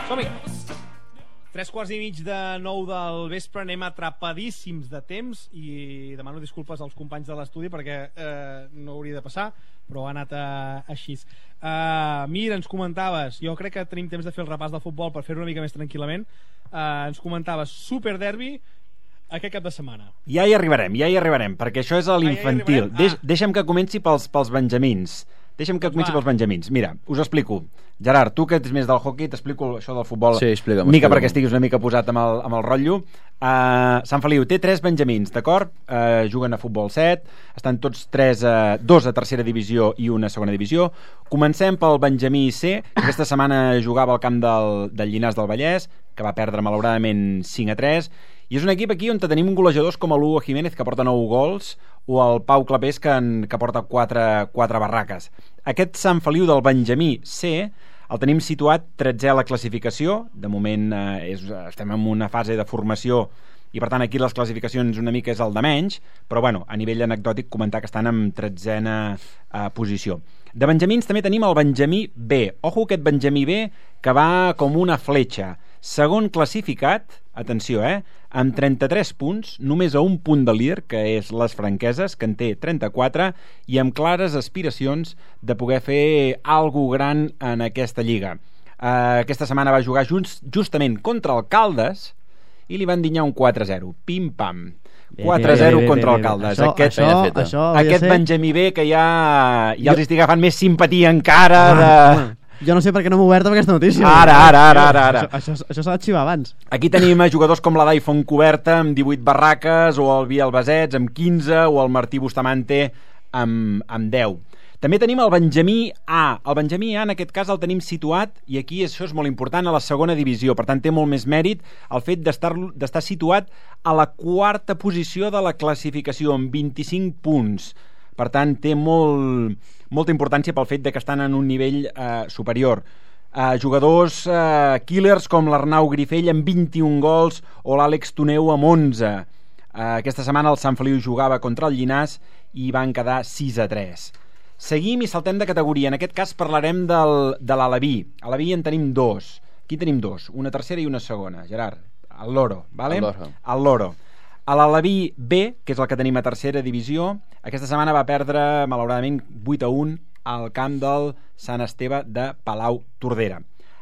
Som-hi! 8:45 del vespre, anem atrapadíssims de temps i demano disculpes als companys de l'estudi perquè no hauria de passar, però ha anat així. Mir, ens comentaves, jo crec que tenim temps de fer el repàs del futbol per fer-ho una mica més tranquil·lament, ens comentaves Superderbi aquest cap de setmana. Ja hi arribarem, perquè això és a l'infantil. Deixa'm que comenci pels benjamins. Mira, us explico. Gerard, tu que ets més del hockey, t'explico això del futbol. Sí, explica'm. Mica perquè estiguis una mica posat amb el rotllo. Sant Feliu té 3 benjamins, d'acord? Juguen a futbol 7, estan tots 2 a tercera divisió i una a segona divisió. Comencem pel benjamí C, que aquesta setmana jugava al camp del Llinars del Vallès, que va perdre malauradament 5-3, i és un equip aquí on tenim golejadors com l'Hugo Jiménez, que porta 9 gols, o el Pau Clapés, que porta 4 barraques. Aquest Sant Feliu del benjamí C el tenim situat 13è a la classificació. De moment estem en una fase de formació i per tant aquí les classificacions una mica és el de menys, però bueno, a nivell anecdòtic comentar que estan en 13a posició. De benjamins també tenim el benjamí B. Ojo aquest benjamí B que va com una fletxa. Segon classificat, atenció, amb 33 punts, només a un punt de líder, que és les Franqueses, que en té 34, i amb clares aspiracions de poder fer alguna gran en aquesta lliga. Aquesta setmana va jugar justament contra el Caldes i li van dinyar un 4-0. Pim-pam. 4-0 contra el Caldes. Aquest benjamí B que ja els estic agafant més simpatia encara Jo no sé per què no m'ho obert amb aquesta notícia. Ara. Això s'ha d'arxivar abans. Aquí tenim jugadors com la Dai Fontcoberta amb 18 barraques, o el Biel Basets amb 15, o el Martí Bustamante amb 10. També tenim el benjamí A. El benjamí A en aquest cas el tenim situat, i aquí això és molt important, a la segona divisió. Per tant té molt més mèrit el fet d'estar situat a la 4a posició de la classificació amb 25 punts. Per tant té molta importància pel fet de que estan en un nivell superior. Jugadors killers com l'Arnau Grifell amb 21 gols o l'Àlex Toneu amb 11. Aquesta setmana el Sant Feliu jugava contra el Llinars i van quedar 6-3. Seguim i saltem de categoria. En aquest cas parlarem de l'Aleví. A l'Aleví en tenim dos. Aquí tenim dos, una tercera i una segona. Gerard, el Loro, vale? El Loro. A l'Aleví B, que és el que tenim a tercera divisió, aquesta setmana va perdre, malauradament, 8-1 al camp del Sant Esteve de Palau Tordera.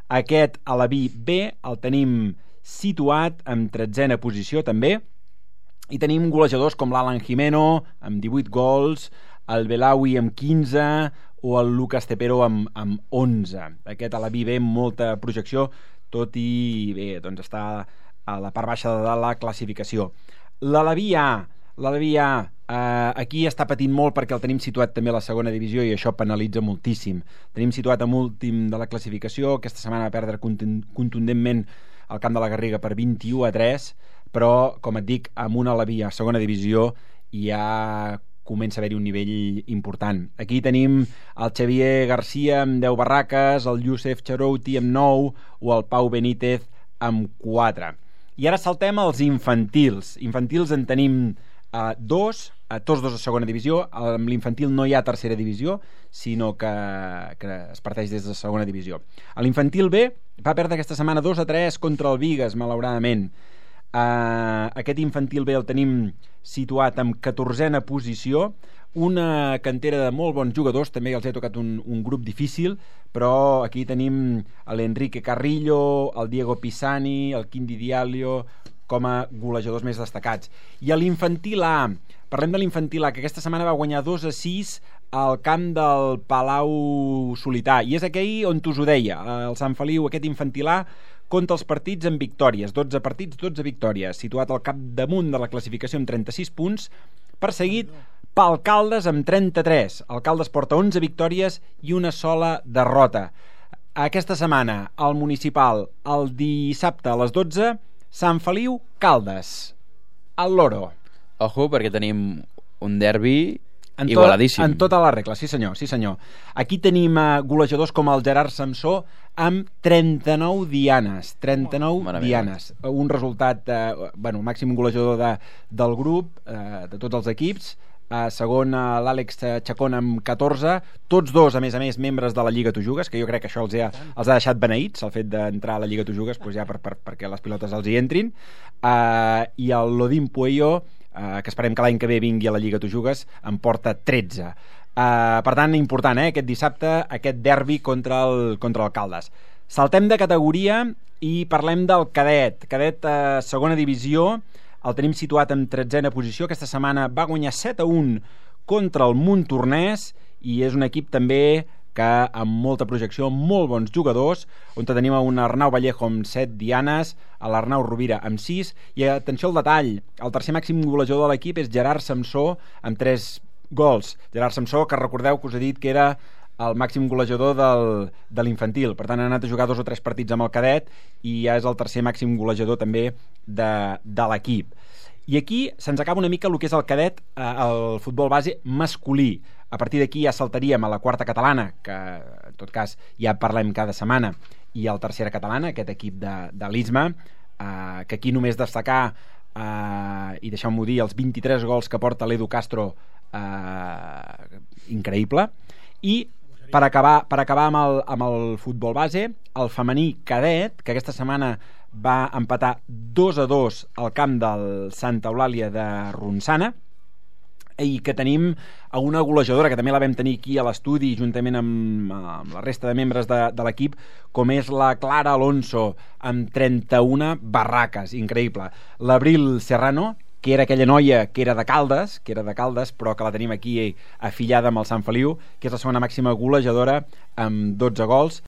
Aquest Aleví B el tenim situat en 13a posició també, i tenim golejadors com l'Alan Jimeno amb 18 gols, el Belawi amb 15 o el Lucas Tepero amb 11. Aquest Aleví B amb molta projecció, tot i bé, doncs està a la part baixa de la classificació. L'Aleví A, aquí està patint molt perquè el tenim situat també a la segona divisió i això penalitza moltíssim. Tenim situat a últim de la classificació, aquesta setmana va perdre contundentment al camp de la Garriga per 21-3, però, com et dic, amb una Aleví a segona divisió ja comença a haver-hi un nivell important. Aquí tenim el Xavier Garcia amb 10 barraques, el Youssef Charouti amb 9 o el Pau Benítez amb 4. I ara saltem als infantils. Infantils en tenim tots dos a segona divisió. Amb l'infantil no hi ha tercera divisió, sinó que es parteix des de segona divisió. A l'infantil B va perdre aquesta setmana 2-3 contra el Bigues, malauradament. Aquest infantil B el tenim situat en 14a posició, una cantera de molt bons jugadors, també els he tocat un grup difícil, però aquí tenim l'Enrique Carrillo, el Diego Pisani, el Quindi Diallo com a golejadors més destacats. I a l'infantil A, parlem de l'infantil A, que aquesta setmana va guanyar 2-6 al camp del Palau Solità, i és aquell on us ho deia, el Sant Feliu, aquest infantil A compta els partits en victòries, 12 partits, 12 victòries, situat al capdamunt de la classificació amb 36 punts, perseguit pel Caldes amb 33. El Caldes porta 11 victòries i una sola derrota. Aquesta setmana, al municipal, el dissabte a les 12, Sant Feliu, Caldes, al Loro. Ojo, perquè tenim un derbi igualadíssim. En tota la regla, sí senyor, sí senyor. Aquí tenim golejadors com el Gerard Samsó amb 39 dianes. 39 dianes. Un resultat, màxim golejador del grup, de tots els equips. Segon, l'Àlex Chacón amb 14. Tots dos, a més, membres de la Lliga Tu Jugues, que jo crec que això els ha deixat beneïts, el fet d'entrar a la Lliga Tu Jugues, doncs ja perquè les pilotes els hi entrin. I el Lodin Pueyo, que esperem que l'any que ve vingui a la Lliga Tu Jugues, en porta 13. Per tant, important, aquest dissabte, aquest derbi contra el Caldes. Saltem de categoria i parlem del cadet. Cadet segona divisió, el tenim situat en 13a posició. Aquesta setmana va guanyar 7-1 contra el Montornès i és un equip també que amb molta projecció, molt bons jugadors, on tenim un Arnau Vallejo amb 7 dianes, l'Arnau Rovira amb 6, i atenció al detall, el tercer màxim golejador de l'equip és Gerard Samsó amb 3 gols. Gerard Samsó, que recordeu que us he dit que era el màxim golejador de l'infantil, per tant ha anat a jugar 2 o 3 partits amb el cadet i ja és el tercer màxim golejador també de l'equip. I aquí se'ns acaba una mica el que és el cadet, el futbol base masculí. A partir d'aquí ja saltaríem a la quarta catalana, que en tot cas ja parlem cada setmana, i al tercera catalana, aquest equip de l'Isma, que aquí només destacar, i deixeu-m'ho dir, els 23 gols que porta l'Edu Castro, increïble. I per acabar amb el futbol base, el femení cadet, que aquesta setmana va empatar 2-2 al camp del Santa Eulàlia de Ronçana, i que tenim una golejadora que també la vam tenir aquí a l'estudi juntament amb la resta de membres de l'equip, com és la Clara Alonso amb 31 barraques, increïble. L'Abril Serrano, que era aquella noia que era de Caldes, però que la tenim aquí afillada amb el Sant Feliu, que és la segona màxima golejadora amb 12 gols.